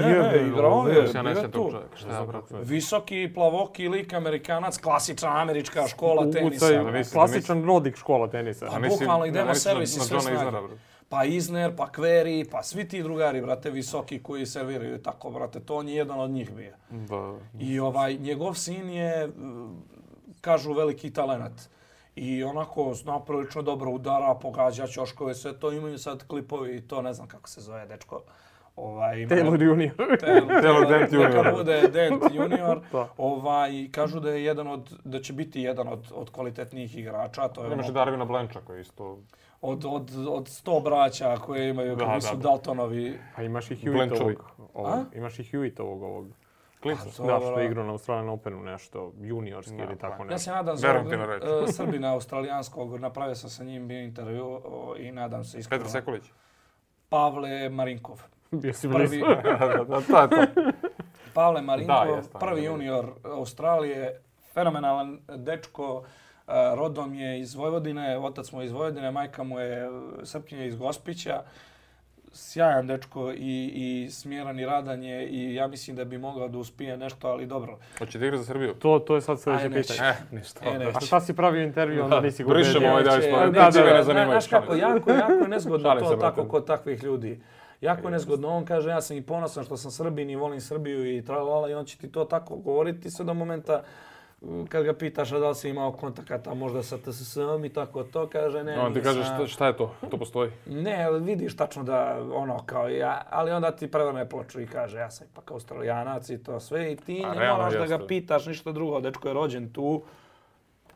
igrao je. Ja ne sjećam tog čovjeka. Šta je, brate? Visoki, plavoki lik, Amerikanac, klasična američka škola tenisa. Klasičan Rodik škola tenisa. Pa bukvalno idemo servis i sve snage. Pa Isner, pa Query, pa svi ti drugari, brate, visoki koji serviraju tako, brate, to on je jedan od njih bio. Da. I njegov sin je, kažu, veliki talenat. I onako zna prilično dobro udara, pogađa ćoškove, sve to imaju sad klipovi i to ne znam kako se zove, dečko. Taylor Junior. Taylor Dent Junior. Neka bude Dent Junior. Kažu da je da će biti jedan od kvalitetnijih igrača. Imaš i Darvina Blancha koji isto... Od 100 braća koje imaju koji su Daltonovi. A imaš i Hewittovog ovog. Klinca. Da, što je igrao na Australian Openu nešto, juniorski ili tako nešto. Ja se nadam za Srbina australijanskog, napravio sam sa njim bio intervju i nadam se iskreno. Petar Sekulić. Pavle Marinkov. Bio si blizu. Pavle Marinkov, prvi junior Australije, fenomenalan dečko. Rodom je iz Vojvodine, otac mu je iz Vojvodine, majka mu je Srpkinja iz Gospića. Sjajan dečko i smjeran i radan je i ja mislim da bi mogao da uspije nešto, ali dobro. Hoće da igra za Srbiju? To je sad sljedeće pitanje. Ništa. A šta si pravio intervju, onda nisi go Brišemo ovaj deo ispravljati. Znaš kako, jako je nezgodno to tako kod takvih ljudi. Jako je nezgodno. On kaže, ja sam i ponosan što sam Srbin i volim Srbiju i tralala i on će ti to tako govoriti sve do momenta kad ga pitaš da li si imao kontakata možda sa TSS-om i tako to, kaže ne. On ti kaže šta je to? To postoji? Ne, vidiš tačno da ono kao ja, ali onda ti prevrne ploču i kaže ja sam ipak Australijanac i to sve i ti ne moraš da ga pitaš ništa drugo. Dečko je rođen tu,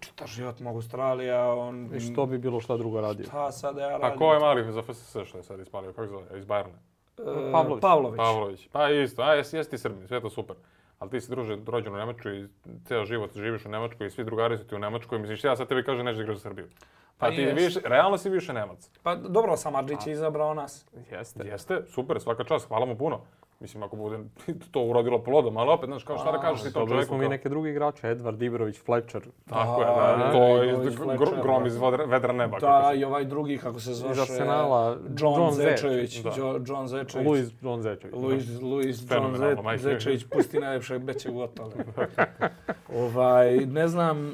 čitav život mogu Australija. I što bi bilo šta drugo radio? Šta sad ja radim? Pa ko je mali za FSS što je sad ispalio? Kako zove? Iz Bayerna? Pavlović. Pa isto, a jesi ti Srbin, sve je to super. Ali ti si rođen u Njemačkoj i ceo život živiš u Njemačkoj i svi drugari su ti u Njemačkoj. Misliš, ja sad tebi kažem nećeš da igraš za Srbiju. Pa ti realno si više Nemac. Pa dobro, Samardžić je izabrao nas. Jeste, super, svaka čast, hvala mu puno. Mislim, ako bude to urodilo plodom, ali opet, znaš, kao šta da kažeš ti tom čovjeku? Smo mi neke drugi igrače, Edvard Ibrović, Fletcher. Tako je, da, to je grom iz vedra neba. Da, i ovaj drugi, kako se zvaše, iz Arsenala, John Zečević. John Zečević. Louis John Zečević, pusti najljepšeg bećeg gotovo.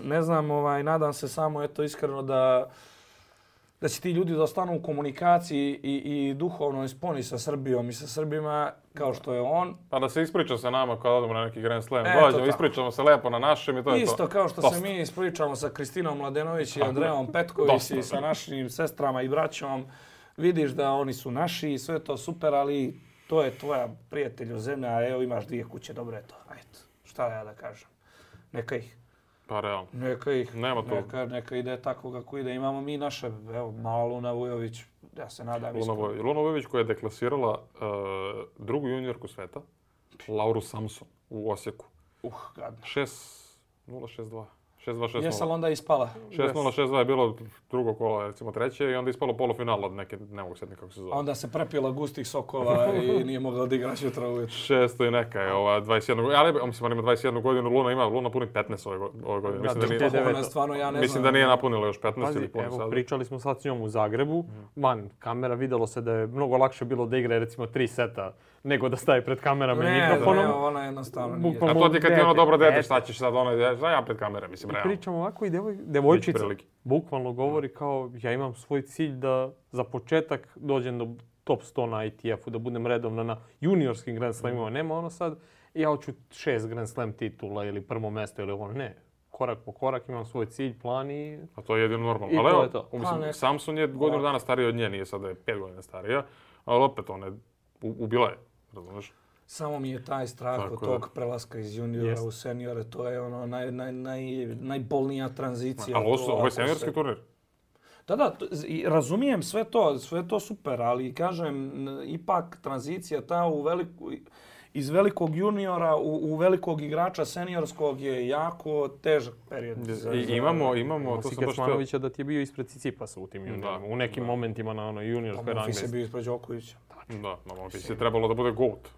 Ne znam, nadam se samo, eto, iskreno da će ti ljudi da ostanu u komunikaciji i duhovnoj sponi sa Srbijom i sa Srbima kao što je on. Pa da se ispriča sa nama kada odemo na neki Grand Slam. Dođemo, ispričamo se lepo na našem i to je to. Isto kao što se mi ispričamo sa Kristinom Mladenović i Andrejom Petković i sa našim sestrama i braćom. Vidiš da oni su naši i sve to super, ali to je tvoja prijatelju zemlja, a evo imaš 2 kuće, dobro je to. Ajde, šta ja da kažem? Neka ih. Pa realno. Neka ide tako kako ide. Imamo mi naše, evo, mala Luna Vujović, ja se nadam iskreno. Luna Vujović koja je deklasirala drugu juniorku sveta, Lauru Samson u Osijeku. Gadno. 6-0-6-2. 6-2-6-0. Jesi li onda ispala? 6-0-6-2 je bilo drugo kolo, recimo treće, i onda ispalo polufinal od neke, ne mogu sjetiti kako se zove. Onda se prepila gustih sokova i nije mogla odigrati jutra ujutro. 600 i neka je ova 21 godina, ali mislim ona ima 21 godinu, Luna puni 15 ove godine. Mislim da nije napunila još 15 ili puni sad. Pričali smo sad s njom u Zagrebu, van kamera, vidjelo se da je mnogo lakše bilo da igra recimo 3 seta nego da staje pred kamerama i mikrofonom. Ne, ona jednostavno nije. A to ti kad ti ono dobro dete, šta ćeš sad, ja pred kamere, mislim, realno. Pričamo ovako i devojčica bukvalno govori kao ja imam svoj cilj da za početak dođem do top 100 na ITF-u, da budem redovno na juniorskim Grand Slamima. Nema ono sad, ja hoću 6 Grand Slam titula ili prvo mjesto ili ono, ne. Korak po korak imam svoj cilj, plan i... A to je jedino normalno. Ali evo, mislim, Samson je godinu dana stariji od nje, nije sada je 5 godina starija, ali opet ona je ubila je, razumiješ? Samo mi je taj strah od tog prelaska iz juniora u seniore, to je ono najbolnija tranzicija. Ali ovo je seniorski turnir? Da, razumijem sve to super, ali kažem, ipak tranzicija ta iz velikog juniora u velikog igrača seniorskog je jako težak period. Imamo to Kecmanovića da ti je bio ispred Cicipasa u tim juniorima, u nekim momentima na onoj juniorskoj rangli. Monfils je bio ispred Đokovića. Da, Monfils je trebalo da bude GOAT.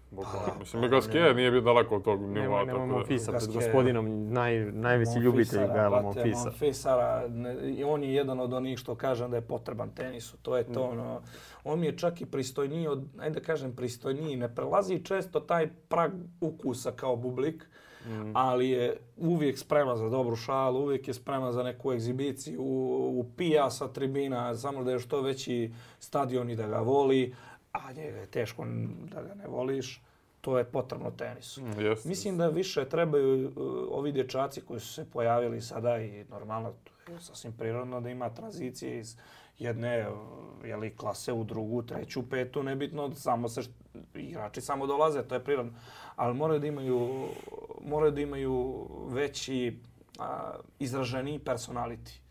Mislim, Gasquet nije bio daleko od tog nivoa. Nema Monfilsa pred gospodinom, najveći ljubitelj Gaela Monfilsa. Monfilsara, on je jedan od onih što kažem da je potreban tenisu. To je to, ono. On mi je čak i pristojniji od, ajde da kažem pristojniji, ne prelazi često taj prag ukusa kao Bublik, ali je uvijek spreman za dobru šalu, uvijek je spreman za neku egzibiciju, upija sa tribina, samo da je što veći stadion i da ga voli, a njega je teško da ga ne voliš. To je potrebno tenisu. Mislim da više trebaju ovi dječaci koji su se pojavili sada i normalno, to je sasvim prirodno da ima tranzicije iz jedne klase u drugu, treću, petu, nebitno, igrači samo dolaze, to je prirodno. Ali moraju da imaju veći izraženiji personality.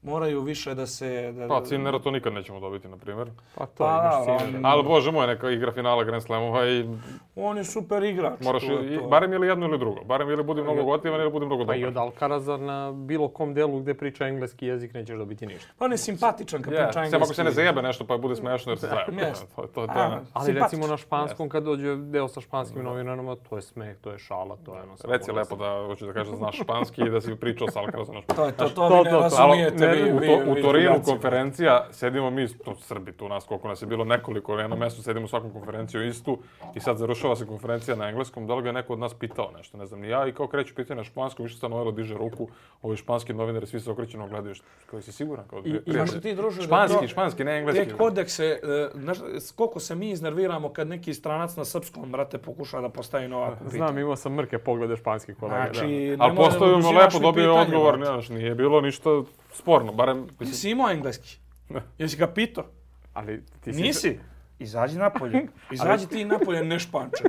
Moraju više da se... Pa, Cinnera to nikad nećemo dobiti, na primjer. Ali, bože moj, neka igra finala Grand Slamova i... On je super igrač. Moraš barem ili jedno ili drugo. Barem ili budi mnogo gotivan ili budi mnogo dobar. Pa i od Alcaraza na bilo kom delu gdje priča engleski jezik nećeš dobiti ništa. Pa on je simpatičan kad priča engleski. Samo ako se ne zajebe nešto pa bude smiješno jer se zajebe. Ali recimo na španskom kad dođe deo sa španskim novinarima, to je smeh, to je šala, to je ono... Reci lepo da hoću da kažeš da znaš španski i da si pričao sa Alcarazom na španskom. To vi ne razumijete. U Torinu konferencija, sedimo mi, Srbi tu nas, koliko nas je bilo nekoliko, na jedno mjestu sedimo svakom konferenciju istu i sad završava se konferencija na engleskom, da li ga je neko od nas pitao nešto, ne znam ni ja, i kao kreću pitanje na španskom, više Stanovelo diže ruku, ovi španski novinari svi se okrećeno gledaju, koji si siguran? Španski, ne engleski. Te kodekse, koliko se mi iznerviramo kad neki stranac na srpskom, brate, pokuša da postavi novaku pitanje. Znam, imao sam mrke poglede španskih kolega. Ali postavimo lepo, dobio odgovor, nije bilo ništa sporno, barem... Jesi imao engleski? Jesi ga pitao? Nisi? Izađi napolje. Izađi ti napolje, ne španče.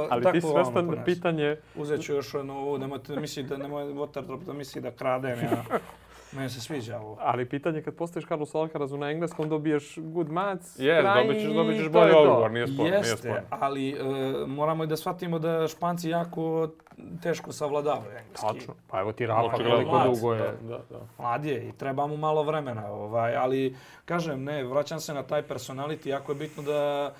Ali ti svestan da pitanje... Uzet ću još ovo, nemojte misli da nemoj Waterdrop da misli da kradem ja. Meni se sviđa ovo. Ali pitanje kad postaviš Carlos Alcarazu na engleskom dobiješ good maths, dobit ćeš bolji odgovor, nije sporno. Jeste, ali moramo i da shvatimo da Španci jako teško savladavaju engleski. Tačno, pa evo ti Rafa koliko dugo je. Mlad je i treba mu malo vremena, ali kažem, ne, vraćam se na taj personality, jako je bitno da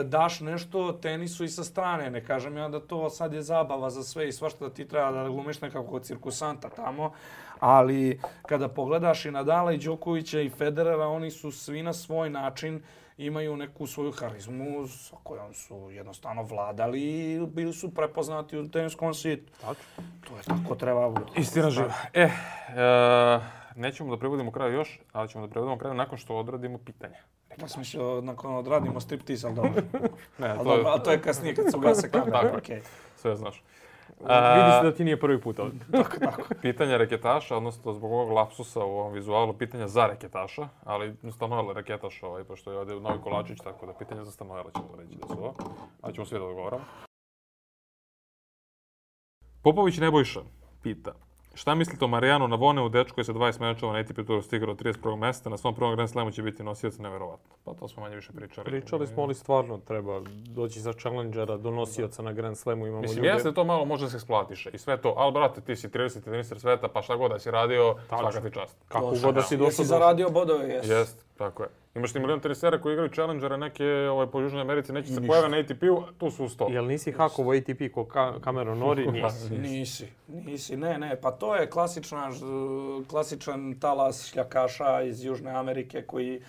daš nešto tenisu i sa strane. Ne kažem ja da to sad je zabava za sve i svašta da ti treba da glumiš nekako cirkusanta tamo, ali kada pogledaš i Nadala i Đokovića i Federera, oni su svi na svoj način imaju neku svoju harizmu sa kojom su jednostavno vladali i bili su prepoznati u teniskom svijetu. To je tako treba biti. Istina živa. Nećemo da prevodimo kraju još, ali ćemo da prevodimo kraju nakon što odradimo pitanja. Ja sam mislio nakon odradimo striptease, ali dobro. Ali to je kasnije kad se ugase kamera. Tako, sve znaš. Vidi se da ti nije prvi put ovdje. Tako. Pitanja reketaša, odnosno zbog ovog lapsusa u ovom vizualu, pitanja za reketaša, ali Stanovela reketaš pošto je ovdje Novi Kolačić, tako da pitanja za Stanovela ćemo reći da su ovo, ali ćemo svi da odgovaramo. Popović Nebojša pita, Šta mislite o Marijanu Navoneu, dečko je sa 20 mečeva na ATP Touru stigao do 31. mjesta, na svom prvom Grand Slamu će biti nosioc, neverovatno. Pa to smo manje više pričali. Pričali smo, ali stvarno treba doći za challengera do nosioca na Grand Slamu. Imamo mislim, jeste to malo, možda se eksplatiše i sve to, ali brate, ti si 30. teniser sveta, pa šta god da si radio, svaka ti čast. Kako god da si došao. Jesi zaradio bodove, jesi. Jest, tako je. Imaš ti milion tenisera koji igraju challengere neke po Južnoj Americi, neće se pojave na ATP-u, tu su u 100. Jel nisi hakovo ATP ko Cameron Norrie? Nisi. Ne, pa to je klasičan talas šljakaša iz Južne Amerike koji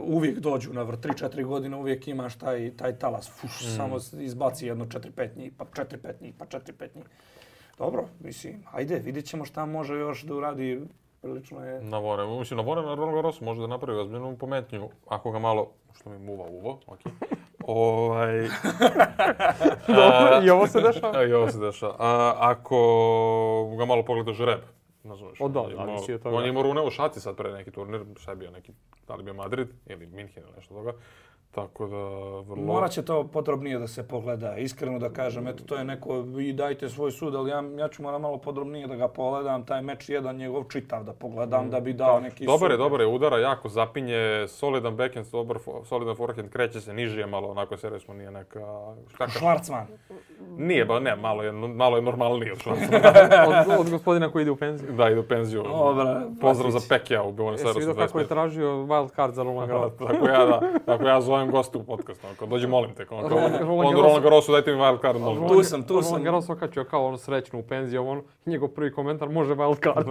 uvijek dođu na vrh. 3-4 godine uvijek imaš taj talas. Samo izbaci jedno 4-5 njih, pa 4-5 njih, pa 4-5 njih. Dobro, mislim, ajde, vidjet ćemo šta može još da uradi. Prilično je... Navone. Mislim, Navone na Roland Garrosu može da napravi ozbiljnu pometnju. Ako ga malo... Što mi uvo, okej. Dobro, i ovo se dešava. I ovo se dešava. Ako ga malo pogleda žreb, nazoveš. Zavisi od toga. On je imao rune u šaci sad pre neki turnir, šta je bio neki, da li bio Madrid ili Minhen ili nešto toga. Tako da vrlo... Morat će to podrobnije da se pogleda. Iskreno da kažem, eto to je neko, vi dajte svoj sud, ali ja ću moram malo podrobnije da ga pogledam. Taj meč jedan njegov čitav da pogledam, da bi dao neki sud. Dobar je, udara jako, zapinje, solidan backhand, solidan forehand, kreće se nižije malo, onako servisno nije neka... Schwarzman. Nije, malo je normalniji od Schwarzmana. Od gospodina koji ide u penziju. Da, ide u penziju. Pozdrav za Pekija u Buenos Airesu. Jesi vidio kako je tražio wild card za Roland Garros? Tako ja zovem gostu u podcastu. Dođi, molim te. Roland Garrosu, dajte mi wild card. Tu sam. Roland Garros okačio kao srećnu u penziju. Njegov prvi komentar, može wild card.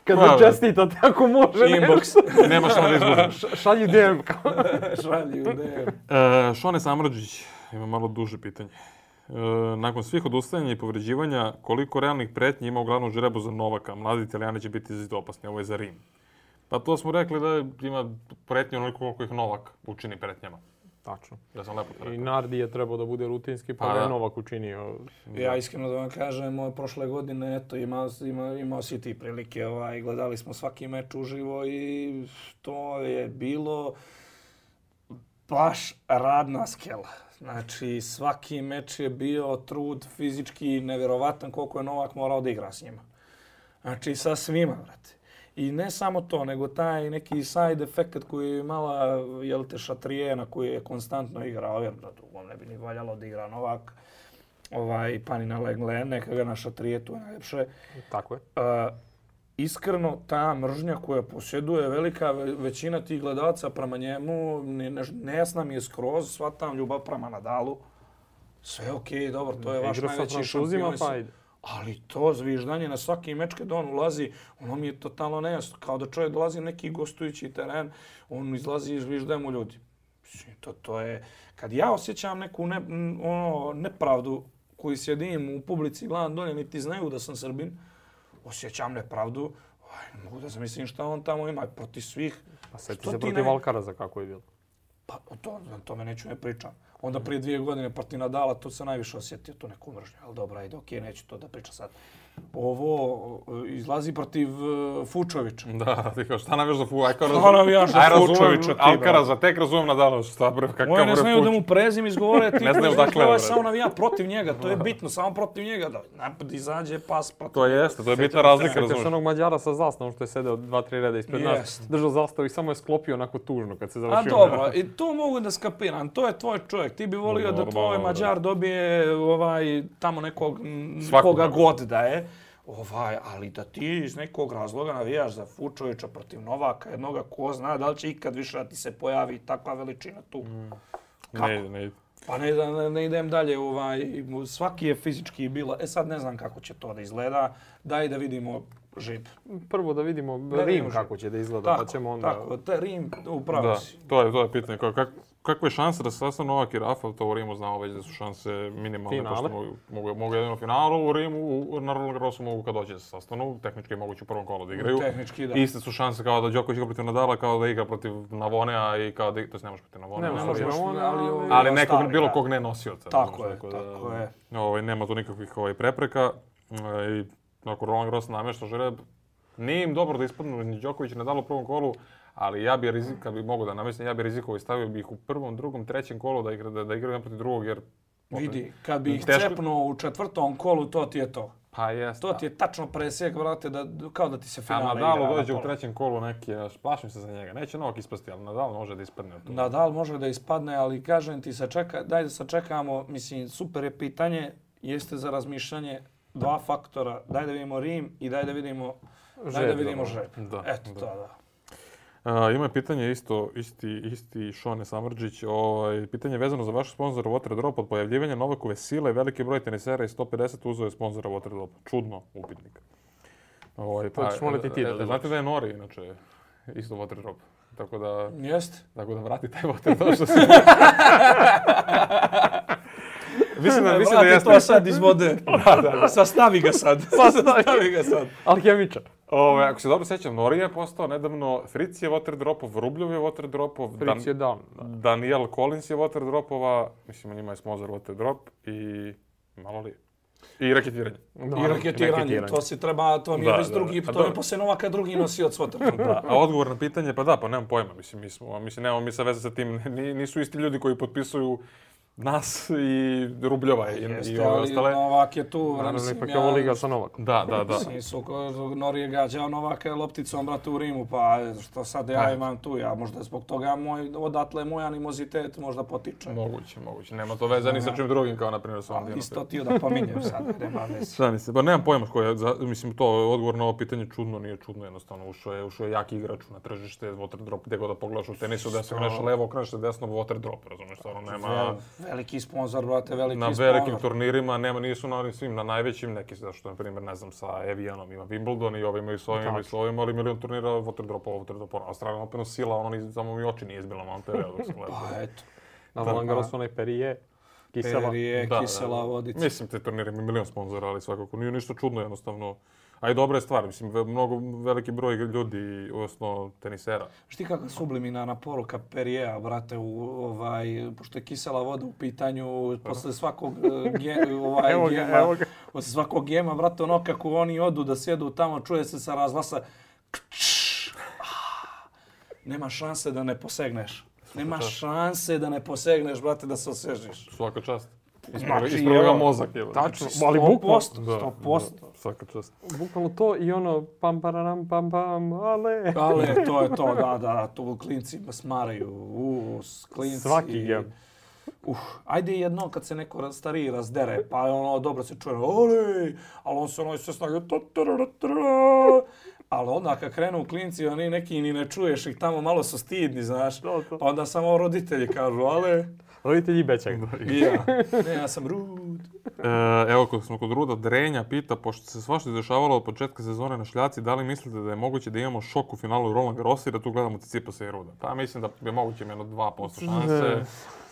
Kad me čestita, tako može. Inbox. Nema šta da izgubim. Šalji DM. Šalji u DM. Šone Samrđić ima malo duže pitanje. Nakon svih odustajanja i povređivanja, koliko realnih pretnji ima u glavnom žrebu za Novaka? Mladi Italijani će biti izuzetno opasni. Ovo je za Rim. Pa to smo rekli da ima pretnje onoliko koliko ih Novak učini pretnjama. Tačno. Da sam lepo to rekao. I Nardi je trebao da bude rutinski, pa je Novak učinio. Ja iskreno da vam kažem, prošle godine imao si ti prilike. Gledali smo svaki meč uživo i to je bilo baš radna skela. Znači, svaki meč je bio trud fizički nevjerovatan koliko je Novak morao da igra s njima. Znači, sa svima, brate. I ne samo to, nego taj neki side efekt koji je imala Šatrijena koji je konstantno igrao, jer da drugom ne bi ni valjalo da igra Novak. Panina Legle, neka ga na Šatrije, tu je najljepše. Tako je. Iskreno, ta mržnja koja posjeduje velika većina tih gledalaca prema njemu, nejasna mi je skroz, shvatam ljubav prema Nadalu. Sve okej, dobro, to je vaš najveći šampion. Ali to zviždanje na svaki meč kad on ulazi, ono mi je totalno nejasno. Kao da čovjek dolazi na neki gostujući teren, on izlazi i zviždaje mu ljudi. To je... Kad ja osjećam neku nepravdu koju sjedim u publici, gledam dolje, niti znaju da sam Srbin, osjećam nepravdu, mogu da zamislim šta on tamo ima protiv svih. Pa sjeti se protiv Alcaraza kako je bilo. Pa o tome neću ne pričam. Onda prije 2 godine protiv Nadala, tu se najviše osjetio tu neku mržnju. Ali dobro, ajde, okej, neću to da pričam sad. Ovo izlazi protiv Fučovića. Da, ti kao šta navijaš za Fučovića? Šta navijaš za Fučovića? Alcaraza, tek razumijem Nadalova, šta bre, kakav bre Fuč. Moje ne znaju da mu prezim izgovore, ti ne znaju dakle, bre. Samo navija protiv njega, to je bitno, samo protiv njega. Da napad izađe, pas protiv. To jeste, to je bitna razlika, razumiješ. Sjećaš onog Mađara sa zastavom što je sedeo 2-3 reda ispred nas, držao zastavu i samo je sklopio onako tužno kad se završio. A dobro, i to mogu da skapiram, to je tvoj čovjek. Ti bi volio da tvoj Mađar dobije tamo nekog koga god da je. Ali da ti iz nekog razloga navijaš za Fučovića protiv Novaka, jednoga ko zna da li će ikad više da ti se pojavi takva veličina tu. Kako? Ne ide. Pa ne idem dalje, svaki je fizički bilo. Sad ne znam kako će to da izgleda, daj da vidimo žib. Prvo da vidimo Rim kako će da izgleda, pa ćemo onda... Tako, Rim upravo si. To je pitanje. Kakve šanse da se sastanu Novak i Rafa, to u Rimu znamo već da su šanse minimalne. Finale. Mogu jedino finalu, u Rimu, na Roland Garrosu mogu kad dođe da se sastanu. Tehnički je moguće u prvom kolu da igraju. Tehnički, da. Iste su šanse kao da Đoković igra protiv Nadala, kao da igra protiv Navonea i kao da... To ne može protiv Navonea. Ne može Navonea, ali nekog bilo kog ne nosioca. Tako je. Nema tu nikakvih prepreka. I nakon Roland Garros namješta žreb. Nije im dobro da ispadnu ni Đoković i Nadal u prvom kolu, ali ja bi kad bi mogao da namestim, ja bi rizikovao i stavio bi ih u prvom, drugom, trećem kolu da igraju jedan protiv drugog, jer... Vidi, kad bi ih cepnuo u 4. kolu, to ti je to. Pa jest. To ti je tačno presjek, brate, kao da ti se finale igra. A Nadal dođe u trećem kolu neki, plašim se za njega. Neće Novak ispasti, ali Nadal može da ispadne. Nadal može da ispadne, ali kažem ti, daj da sačekamo, mislim, super je pitanje, jeste za razmišljanje 2 faktora. Daj da vidimo Rim i daj da vidimo Žreb. Eto, to da. Ima pitanje isti Šone Samrđić. Pitanje vezano za vaš sponzor Waterdrop. Od pojavljivanja Novakove sile, veliki broj tenisera i 150 uzeo je sponzora Waterdrop. Čudno, upitnik. Znate da je Nori, inače, isto Waterdrop. Tako da... Jeste. Tako da vrati taj Waterdrop što se... Mislim da jeste. To sad iz vode. Sastavi ga sad. Alhemičar. Ako se dobro sjećam, Nori je postao nedavno, Fritz je Waterdropov, Rubljov je Waterdropov, Fritz je dan. Daniel Collins je Waterdropova, mislim njima je sponzor Waterdrop i malo li? I raketiranje. I raketiranje, to si treba, to nije već drugi, to je poslije Novaka drugi nosioc Waterdropa. A odgovor na pitanje, pa nemam pojma, nemamo mi sa veze sa tim, nisu isti ljudi koji potpisuju nas i Rubljova i ove ostale. Novak je tu. Naravno, ipak je ovo liga sa Novakom. Da. Nori je gađao Novaka lopticom, brate, u Rimu, pa što sad ja imam tu, možda zbog toga odatle moj animozitet možda potiče. Moguće. Nema to veze ni sa čim drugim, kao na primjer sa ovom. Isto ti da pominjem sad, nema veze. Pa nemam pojma koji je, mislim, to odgovor na ovo pitanje čudno, nije čudno, jednostavno. Ušao je jaki igrač na tržište, Waterdrop, gdje god da pogledaš u tenisu, da se nešto levo, okreneš se desno, Waterdrop, razumiješ, stvarno nema... Veliki sponsor, brate, na velikim turnirima, nisu na svim, na najvećim, neki zašto, na primjer, ne znam, sa Evianom ima Wimbledon i ovi imaju s ovim, ali milion turnira Waterdropa, Australija opet sila, samo mi oči nije izbila malo periodu. Pa eto. Na Roland Garrosu onaj Perrier, kisela vodica. Mislim, te turnire imaju milion sponzora, ali svakako nije ništa čudno, jednostavno. A i dobra je stvar, mislim, mnogo veliki broj ljudi, odnosno tenisera. Šti kakva subliminarna poruka Perriera, brate, pošto je kisela voda u pitanju, posle svakog gema, brate, ono kako oni odu da sjedu tamo, čuje se sa razglasa nema šanse da ne posegneš. Nema šanse da ne posegneš, brate, da se osvežiš. Svaka čast. Ispravo ga mozak. Tačno, ali 100%. Svaka čast. Bukvalno to i ono pam pararam pam pam, ale. Ale, to je to, da, tu klinci smaraju, klinci. Svaki gem. Ajde jedno kad se neko stariji razdere, pa ono dobro se čuje, ali on se ono sve snage, ali onda kad krenu klinci, oni neki ni ne čuješ ih tamo, malo su stidni, znaš, pa onda samo roditelji kažu, ale... Roditelji i Bećak. Ja sam Rud. Evo, kad smo kod Ruda, Drenja pita, pošto se svašta dešavalo od početka sezone na šljaci, da li mislite da je moguće da imamo šok u finalu Roland Garrosa i da tu gledamo Tsitsipasa i Ruda? Pa mislim da je moguće jedno 2% šanse.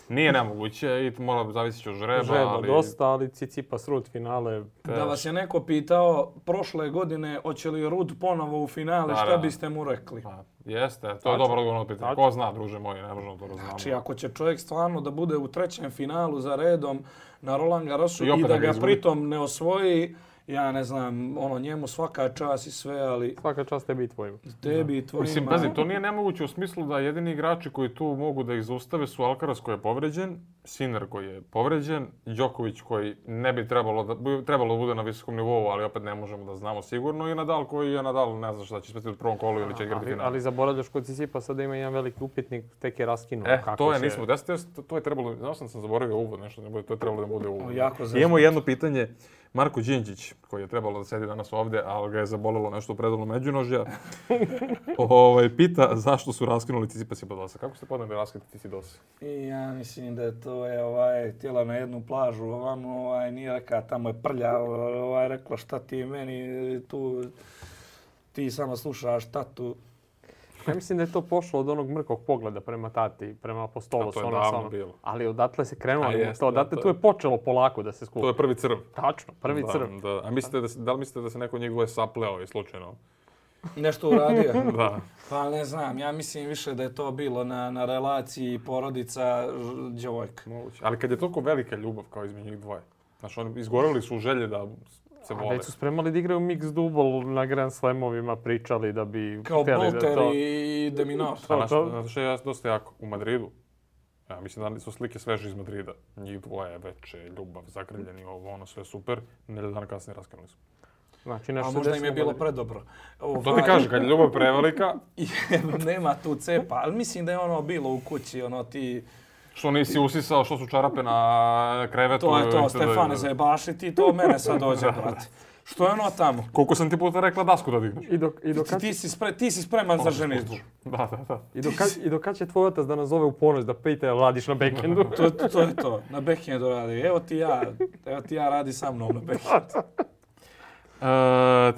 Nije nemoguće i mora zavisiti od žreba, ali... dosta, ali Tsitsipas Rud finale... Da vas je neko pitao prošle godine hoće li Rud ponovo u finale, šta biste mu rekli? Jeste, to je dobro odgovorno pitanje. Ko zna, druže moji, ne možemo to raznamo. Znači, ako će čovjek stvarno da bude u trećem finalu za redom na Roland Garrosu i da ga pritom ne osvoji, ja ne znam, njemu svaka čast i sve, ali... Svaka čast tebi i tvojima. Tebi i tvojima. Mislim, pazi, to nije nemoguće u smislu da jedini igrači koji tu mogu da ih zaustave su Alcaraz koji je povređen, Sinner koji je povređen, Đoković koji ne bi trebalo da bude na visokom nivou, ali opet ne možemo da znamo sigurno, i Nadal koji je Nadal, ne znam šta će speti u prvom kolu ili će igrati final. Ali zaboravljaš kod Tsitsipasa da ima jedan veliki upitnik, tek je raskinuo. To je trebalo, znao sam zaboravio uvod nešto, to je trebalo da bude uvod. Imamo jedno pitanje. Marko Đinđić, koji je trebalo da sedi danas ovdje, ali ga je zabolelo nešto u predalu međunožja, pita zašto su raskinuli Tsitsipas i Badosa. Kako ste podneli raskinuti Tsitsipas? Ja mislim da to je htjela na jednu plažu, nije rekao tamo je prlja, rekla šta ti meni tu, ti samo slušaš tatu. Ja mislim da je to pošlo od onog mrkog pogleda prema tati, prema apostolu. To je davno bilo. Ali odatle se krenulo to, odatle tu je počelo polako da se skupi. To je prvi crv. Tačno, prvi crv. A da li mislite da se neko njegove sapleo i slučajno? Nešto uradio? Da. Pa ne znam, ja mislim više da je to bilo na relaciji porodica djevojka. Moguće. Ali kad je toliko velika ljubav kao između njih dvoje, znači oni izgoreli su želje da se vole. Već su spremali da igraju mix double na Grand Slamovima, pričali da bi... Kao Bolter i De Minaur. Znaš što je dosta jako? U Madridu Ja mislim da su slike sveže iz Madrida. Njih dvoje, veče, ljubav, zagrljeni, ono sve super. Nedelju dana kasnije raskinuli su. Znači, a možda im je bilo predobro. To ti kaže, kad je ljubav prevelika... Nema tu cepa, ali mislim da je ono bilo u kući, ono ti... Što nisi usisao, što su čarape na krevetu... To je to, Stefane, zajebaši ti, to mene sad dođe, brate. Što je ono tamo? Koliko sam ti puta rekla dasku da digneš? Ti si spreman za ženitbu. Da. I do kad će tvoj otac da nas zove u ponoć da pita jel radiš na backendu? To je to, na backendu radi. Evo ti ja radi sa mnom na backendu.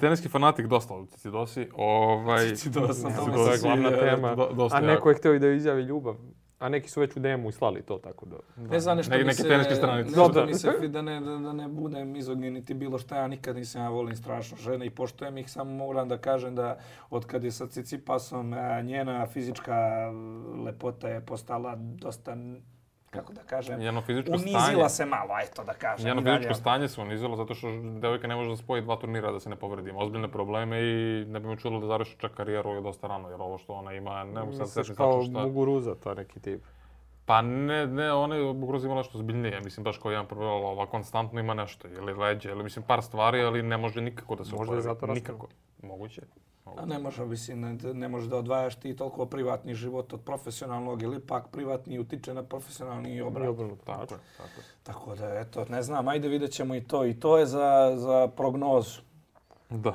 Teniski fanatik, dosta od Cicidosi. Cicidosa, to je glavna tema. A neko je htio i da izjavi ljubav. A neki su već u DM-u slali to, tako da... Ne znam nešto neke teniske stranice. Da ne budem mizogin niti bilo šta, ja nikad nisam, ja volim strašno žene i poštujem ih, samo moram da kažem da od kad je sa Cicipasom njena fizička lepota je postala dosta, kako da kažem, unizila se malo, to da kažem. Njeno fizičko stanje se unizilo zato što devojka ne može da spoji 2 turnira da se ne povredi. Ima ozbiljne probleme i ne bi me čudilo da završi čak karijeru je dosta rano, jer ovo što ona ima, ne mogu sad setiti kao Muguruza, to je neki tip. Pa ne, ona je Muguruza imala nešto zbiljnije, mislim baš kao jedan problem, ova konstantno ima nešto, ili leđe, ili mislim par stvari, ali ne može nikako da se oporavi. Možda je zato nikako. Moguće. A ne može, mislim, ne može da odvajaš ti toliko privatni život od profesionalnog ili ipak privatni utiče na profesionalni i obrnuto. Tako da, eto, ne znam, ajde vidjet ćemo i to. I to je za prognozu. Da.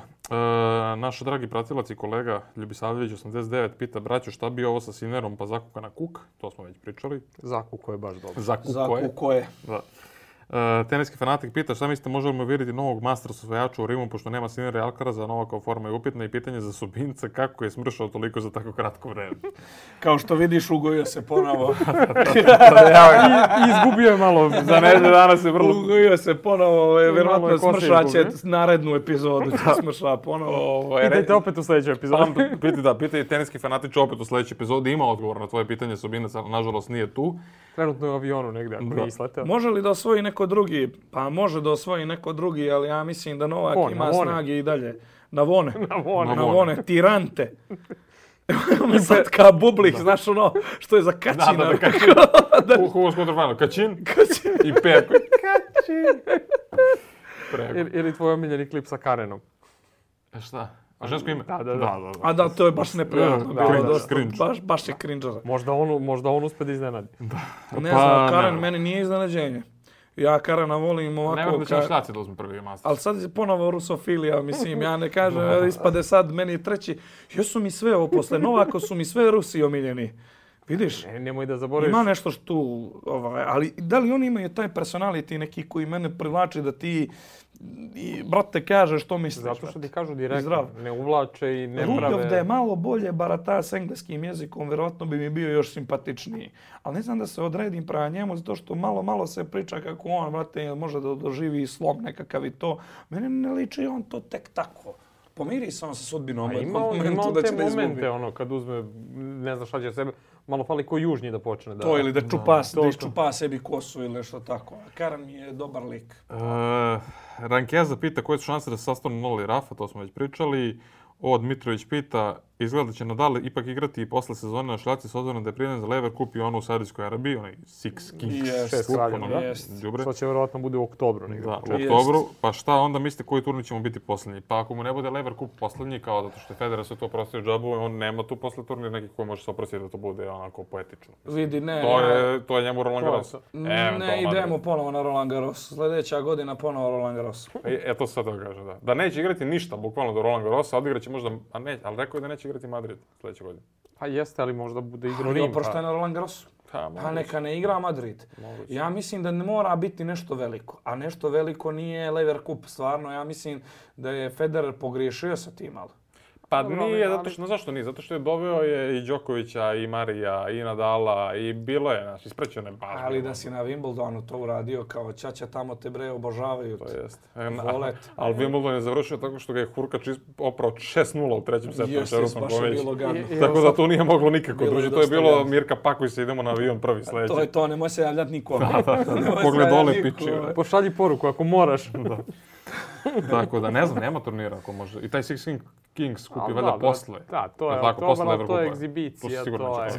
Naš dragi pratilac i kolega Ljubisavljević 89 pita, braćo, šta bi ovo sa Sinerom pa zakuka na kuk? To smo već pričali. Zakuko je baš dobro. Zakuko je. Da. Teniski fanatik pita šta mislite možemo vidjeti novog Masters osvajača u Rimu pošto nema Sinera i Alcaraza, Novakova forma je upitna i pitanje za Subinca kako je smršao toliko za tako kratko vreme. Kao što vidiš, ugojio se ponovo. Izgubio je malo. Za nedelju dana se vrlo... Ugojio se ponovo, vjerojatno smršaće narednu epizodu, će smršava ponovo. Pitajte opet u sljedećoj epizodi. Pitaj teniski fanatič opet u sljedećoj epizodi. Ima odgovor na tvoje pitanje, Subinac, ali nažalost nije tu. Trenutno je u avionu negdje, ako nije isleteo. Može li da osvoji neko drugi? Pa može da osvoji neko drugi, ali ja mislim da Novak ima snage i dalje. Na vone. Tirante. Mi sad kao Bublik, znaš ono što je za Kačina. Da, Kačin. Hugo Skotrfajno, Kačin i Perko. Kačin. Ili tvoj omiljeni klip sa Karenom. Šta? A žensko ime? Da. A da, to je baš neprijatno. Baš je cringe. Možda on uspe da iznenadi. Ne znam, Karen meni nije iznenađenje. Ja Karena volim ovako... Ne da ćemo šljaci da uzme prvi Masters. Ali sad je ponovo rusofilija, mislim, ja ne kažem, ispade sad meni treći. Jesu mi sve ovo posle Novaka, su mi sve Rusi omiljeni. Vidiš? Nemoj da zaboraviš. Ima nešto što tu, ali da li oni imaju taj personality neki koji mene privlači da ti, brate, kažeš što misliš? Zato što ti kažu direktno, ne uvlače i ne prave... Rudolf da je malo bolje barata s engleskim jezikom, vjerovatno bi mi bio još simpatičniji. Ali ne znam da se odredim prema njemu, zato što malo se priča kako on, brate, može da doživi slom nekakav i to. Mene ne liči on to tek tako. Pomiri se on sa sudbinom. Ima on te momente, kad uzme, ne znam šta će sebe, malo fali ko južnji da počne. To ili da iščupa sebi kosu ili što tako. Karan mi je dobar lik. Rankeza pita koje su šanse da se sastanu Noli Rafa, to smo već pričali. Dmitrović pita, izgleda da će Nadal ipak igrati i posle sezone na šljaci s obzirom da je prijavljen za Lever Cup i ono u Saudijskoj Arabiji, onaj Six Kings Cup. Što će vjerovatno bude u oktobru. Da, u oktobru. Pa šta onda mislite koji turnir ćemo biti posljednji? Pa ako mu ne bude Lever Cup posljednji, kao zato što je Federer sve to oprostio džabu, on nema tu posle turnir nekih koji može se oprostiti da to bude onako poetično. Vidi, ne. To je njemu Roland Garros. Ne idemo ponovo na Roland Garros. Sljedeća godina ponovo Roland Garros. To sad da kažem, da. Da neće igrati ništa, bukvalno do Roland Garrosa, odigraće možda, ali rekao je da neće igrati Madrid sljedeće godine. Pa jeste, ali možda bude igrao Rim. Pošto je na Roland Garrosu. Pa neka ne igra Madrid. Ja mislim da ne mora biti nešto veliko. A nešto veliko nije Lever Cup. Stvarno, ja mislim da je Federer pogriješio sa tim, ali. Pa nije, zašto nije? Zato što je doveo je i Đokovića, i Marija, i Nadala, i bilo je, znači, isprećeno je baš. Ali da si na Wimbledonu to uradio kao ćaća tamo te bre obožavaju. To jest. Ali Wimbledon je završio tako što ga je Hurkač oprao 6-0 u trećem setu. Jeste, baš je bilo gadno. Tako da tu nije moglo nikako druži. To je bilo Mirka pakuj se, idemo na avion prvi sljedeći. To je to, nemoj se javljati nikome. Pogled dole piči. Pošalji poruku ako moraš. Tako da ne znam, nema turnira ako može. I taj Six Kings kupi valjda posle. Da, to je oktobar, to je egzibicija, to je...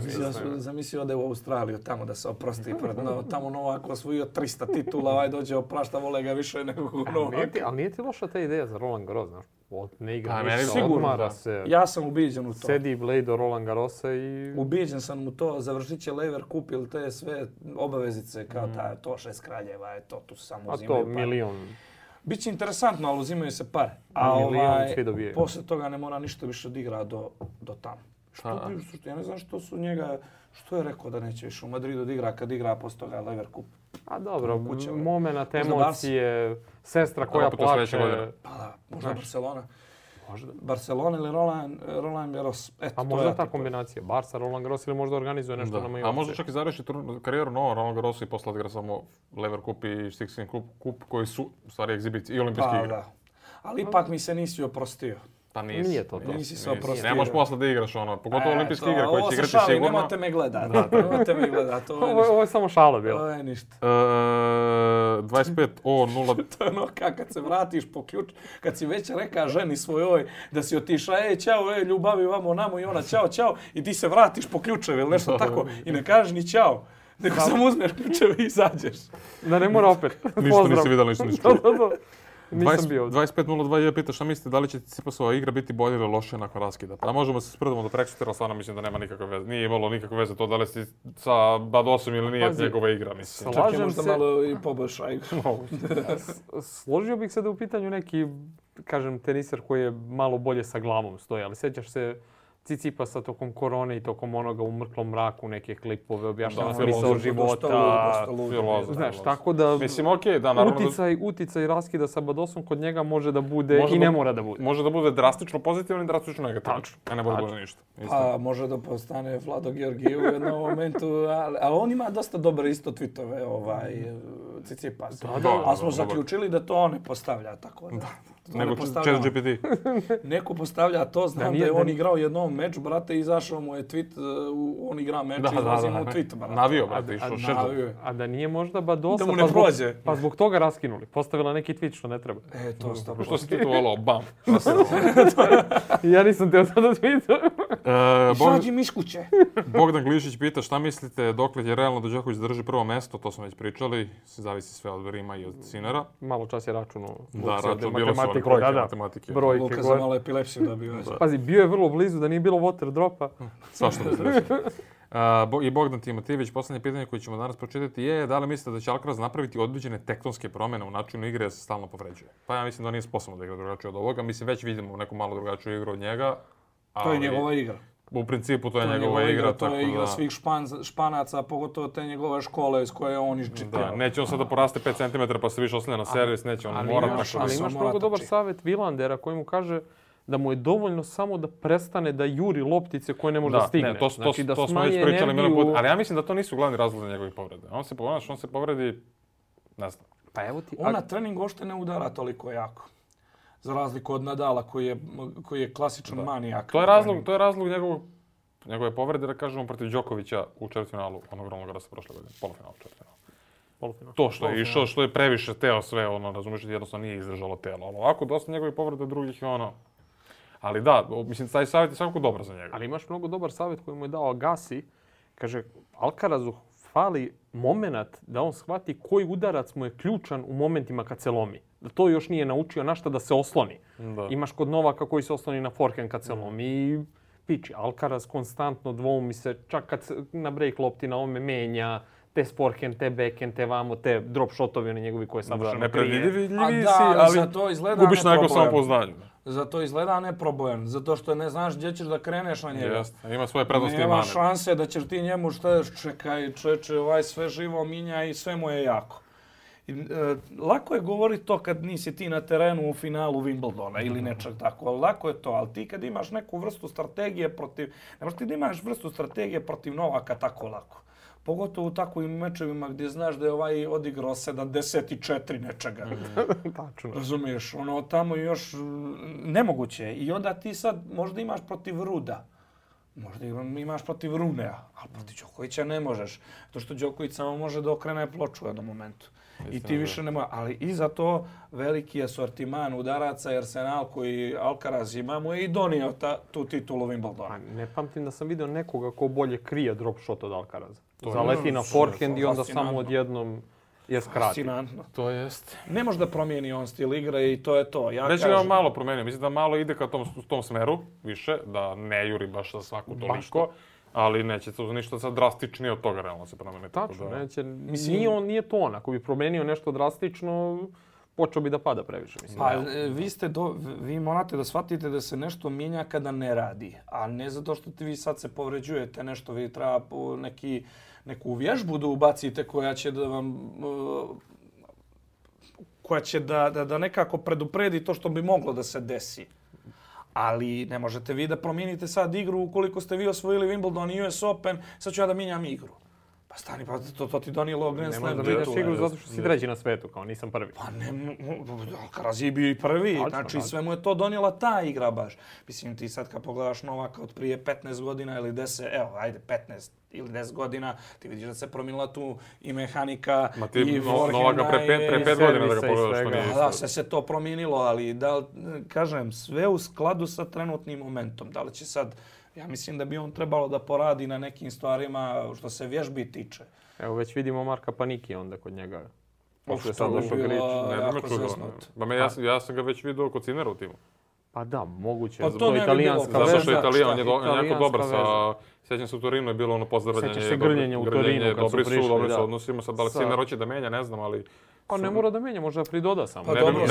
Zamisli ode u Australiju tamo da se oprosti pred tamo Novak osvojio 300 titula, dođe oprašta, vole ga više nego Novak. Ali nije ti loša ta ideja za Roland Garros, znaš? Ne igra, odmara se. Ja sam ubiđen u to. Sedi Blade do Roland Garrosa i... Ubiđen sam u to, završit će Lever Cup ili te sve obavezice kao to 6 kraljeva, tu samo uzimaju pare. A to milion. Biće interesantno, ali uzimaju se pare. A posle toga ne mora ništa više odigra do tamo. Ja ne znam što su njega, što je rekao da neće više u Madridu odigra kad igra posle toga Lever Cup. A dobro, moment, emocije, sestra koja plače. Pa da, možda Barcelona. Barcelona ili Roland Garros. A možda ta kombinacija, Barca, Roland Garros ili možda organizuje nešto na Majorci. A možda čak i završi karijeru novo Roland Garrosu i posle odigra samo Lever Cup i Six Kings Cup koji su u stvari egzibicije i olimpijski igre. Da. Ali ipak mi se nisi oprostio. Pa nisi. Nije to. Nisi se oprostio. Ne možeš posle da igraš pogotovo olimpijske igre koje će igrati sigurno. Nemojte me gledat. Ovo je samo šala bilo. Ovo je ništa. 25:0. To je ono kad se vratiš po ključ, kad si već reka ženi svojoj da si otišla, čao, ljubavi vamo namo i ona čao i ti se vratiš po ključeve ili nešto tako i ne kažeš ni čao. Nego samo uzmeš ključeve i izađeš. Da ne mora opet. Ništa nisi vidjela, ništa nisi čuo. Nisam bio. 25:02 je pita šta mislite da li će Tsitsipasova igra biti bolje ili lošija nakon raskida. Pa možemo se sprdamo do preksutra, ali stvarno mislim da nema nikakve veze. Nije imalo nikakve veze to da li si sa Badosom ili nije njegova igra, mislim. Čak je možda malo i poboljša igra. Složio bih se da u pitanju neki, kažem, teniser koji je malo bolje sa glavom stoji, ali sjećaš se Tsitsipasa tokom korone i tokom onoga u mrklom mraku, neke klipove, objašnjava smisao života. Znaš, tako da mislim, okej, da, naravno uticaj raskida sa Badosom kod njega može da bude i ne mora da bude. Može da bude drastično pozitivno i drastično negativno. A ne bude ništa. A može da postane Vlado Georgijev u jednom momentu, a on ima dosta dobre isto tweetove, Tsitsipas. Ali smo zaključili da to on ne postavlja tako da. Nego ChatGPT. Neko postavlja to, znam da je on igrao jednom meč, brate, izašao mu je tweet, on igra meč i izlazi mu tweet, brate. Navio, brate, išao šeržu. A da nije možda Badosa, da mu ne prođe. Pa zbog toga raskinuli. Postavila neki tweet što ne treba. To stavno. Što si tweetovalo? Bam. Ja nisam teo sada tweetovao. Izađi mi iz kuće. Bogdan Glišić pita šta mislite dokle je realno da Đoković drži prvo mesto, to smo već pričali, zavisi sve od Rima i od Sinera. Malo čas je računao. Da, račun bilo su matematike. Luka za malo epilepsiju dobio. Pazi, bio je vrlo blizu da nije bilo water dropa. Svašta bi se reći. I Bogdan Timotijević, poslednje pitanje koje ćemo danas pročitati je da li mislite da će Alcaraz napraviti određene tektonske promjene u načinu igre da se stalno povređuje? Pa ja mislim da nije sposobno da igra drugačije od ovoga. Mislim, već vidimo neku malo drugačiju igru od njega. To je njegova igra. U principu to je njegova igra. To je igra svih Španaca, pogotovo te njegove škole s koje on iščitao. Neće on sad da poraste 5 cm pa se više oslanja na servis, neće on morati. Ali imaš mnogo dobar savjet Vilandera koji mu kaže da mu je dovoljno samo da prestane da juri loptice koje ne može da stigne. To smo već pričali milion puta. Ali ja mislim da to nisu glavni razlozi njegovih povreda. On se povredi, ne znam. Pa evo ti... On na trening uopšte ne udara toliko jako. Za razliku od Nadala koji je klasičan manijak. To je razlog njegove povrede, da kažemo, protiv Đokovića u četvrtfinalu onog Roland Garrosa prošle godine. Polufinalu, četvrtfinalu. To što je išao, što je previše teo sve, razumiješ, jednostavno nije izdržalo telo. Ali ovako, dosta njegovih povreda drugih je Ali da, mislim, taj savjet je svakako dobar za njega. Ali imaš mnogo dobar savjet koji mu je dao Agassi. Kaže, Alcarazu fali moment da on shvati koji udarac mu je ključan u momentima kad se lomi. Da to još nije naučio na šta da se osloni. Da. Imaš kod Novaka koji se osloni na forehand kad se lomi i piči. Alcaraz konstantno dvoumi se, čak kad se na break lopti na ovome menja, te forehand, te backhand, te vamo, te drop shotovi oni njegovi koje savršeno krije. Nepredvidljivi si, ali gubiš na nekom samopouznanju. Zato izgleda neprobojan, zato što ne znaš gdje ćeš da kreneš na njega. Jeste, ima svoje prednosti i mane. Nema šanse da ćeš ti njemu čekaj, sve živo minja i sve mu je jako. Lako je govoriti to kad nisi ti na terenu u finalu Wimbledona ili nečeg tako, lako je to, ali ti kad imaš neku vrstu strategije protiv, ne možeš ti da imaš vrstu strategije protiv Novaka tako lako. Pogotovo u takvim mečevima gdje znaš da je ovaj odigrao 74 nečega. Tačno. Razumiješ, tamo još nemoguće. I onda ti sad možda imaš protiv Ruda. Možda imaš protiv Runea, ali protiv Đokovića ne možeš. To što Đoković samo može da okrene ploču u jednom momentu. I ti više ne može. Ali i za to veliki asortiman udaraca i arsenal koji Alcaraz ima mu je i donio tu titulu Wimbledona. Ne pamtim da sam vidio nekoga ko bolje krije drop shot od Alcaraza. Zaleti na forehand i onda samo odjednom je skrati. Fascinantno. To jest. Ne može da promijeni on stil igre i to je to. Već ga malo promijenio. Mislim da malo ide ka tom smeru više, da ne juri baš za svaku toliko. Ali neće to ništa sad drastičnije od toga realno se promene. Tačno, neće. Mislim, nije to on. Ako bi promenio nešto drastično, počeo bi da pada previše. Mislim. Pa vi morate da shvatite da se nešto mijenja kada ne radi. A ne zato što vi sad se povređujete nešto. Vi treba neku vježbu da ubacite koja će da vam... koja će da nekako predupredi to što bi moglo da se desi. Ali ne možete vi da promijenite sad igru ukoliko ste vi osvojili Wimbledon i US Open, sad ću ja da mijenjam igru. Pa stani, pa to ti donijelo Grand Slam. Ne možeš da mijenjaš igru zato što si treći na svetu, kao nisam prvi. Pa ne, Alcaraz je bio i prvi, znači sve mu je to donijela ta igra baš. Mislim, ti sad kad pogledaš Novaka od prije 15 godina ili 10, evo, ajde 15 ili 10 godina, ti vidiš da se promijenila tu i mehanika i forehanda. Novaka pre 5 godina da ga pogledaš što nije isto. Da, se to promijenilo, ali da, kažem, sve u skladu sa trenutnim momentom. Da li će sad... Ja mislim da bi on trebalo da poradi na nekim stvarima što se vježbi tiče. Evo već vidimo Marka Paniki onda kod njega. Pošto je sad došao Grič. Ne bi me čudilo. Ja sam ga već vidio kod Sinera u timu. Pa da, moguće. Pa to ne bi bilo. Zato što je Italijan, on je jako dobar sa... Sjećam se u Torinu je bilo ono pozdravljanje. Sjećaš se grljenja u Torinu kad su prišli. Dobri su odnosima. Sad da li Siner hoće da menja, ne znam, ali... Pa ne mora da menja, možda pridoda samo. Pa dobro,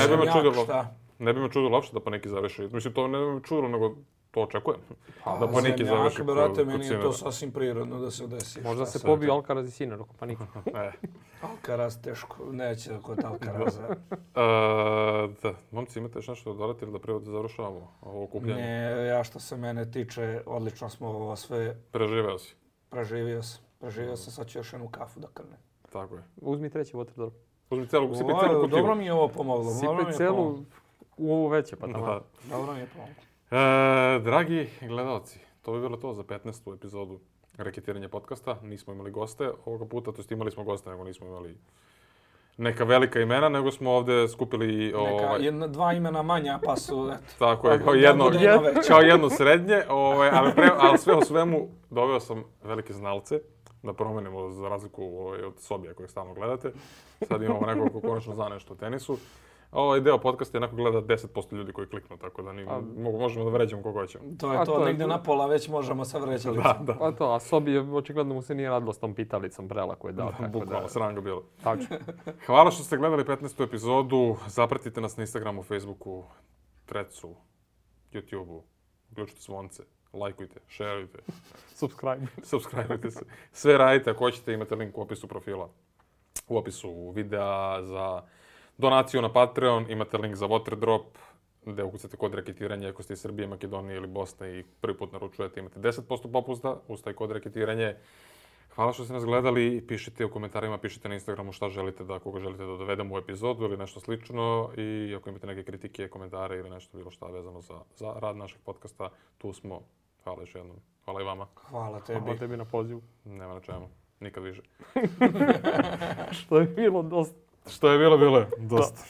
ne bi me čudilo uopšte da Paniki završi. Mislim, to ne bi me čudilo, nego to očekujem. Da Paniki završi kod Sinera. Meni je to sasvim prirodno da se desi. Možda se pobiju Alcaraz i Sinner oko Paniki. Alcaraz teško, neće kod Alcaraza. Da, momci, imate još nešto dodati ili da prije završavamo ovo okupljanje? Ne, ja što se mene tiče, odlično smo ovo sve... Preživeo si? Preživio sam, sad ću još jednu kafu da krnem. Tako je. Uzmi treći waterdrop. Uzmi celu, sipi celu kutiju. Dobro mi je ovo pomoglo. Sipi celu u ovo veće, pa tamo. Dobro mi je pomoglo. Dragi gledalci, to bi bilo to za 15. epizodu Reketiranje podcasta. Nismo imali goste ovoga puta, to jest imali smo goste, nego nismo imali neka velika imena, nego smo ovdje skupili... Dva imena manja, pa su... Tako je, kao jedno srednje, ali sve u svemu doveo sam velike znalce, da promenimo za razliku od Sobija kojeg stalno gledate. Sad imamo nekog ko konačno zna nešto o tenisu. Ovaj deo podcasta jednako gleda 10% ljudi koji kliknu, tako da možemo da vređamo koga hoćemo. To je to, negdje na pola već možemo sa vređalicom. Da. Pa to, a Sobi očigledno mu se nije radilo s tom pitalicom prela koju je dao. Bukvalno, sram ga bilo. Tačno. Hvala što ste gledali 15. epizodu. Zapratite nas na Instagramu, Facebooku, Threadsu, YouTubeu. Uključite zvonce, lajkujte, šerujte. Subscribeujte se. Sve radite, ako hoćete imate link u opisu profila. U opisu videa za donaciju na Patreon, imate link za Waterdrop, gdje ukucate kod reketiranja ako ste iz Srbije, Makedonije ili Bosne i prvi put naručujete, imate 10% popusta uz taj kod reketiranje. Hvala što ste nas gledali, pišite u komentarima, pišite na Instagramu šta želite koga želite da dovedemo u epizodu ili nešto slično. I ako imate neke kritike, komentare ili nešto bilo šta vezano za rad našeg podcasta, tu smo. Hvala još jednom. Hvala i vama. Hvala tebi. Hvala tebi na pozivu. Nema na čemu. Nikad više. Što je bilo dosta. Što je bilo je dosta.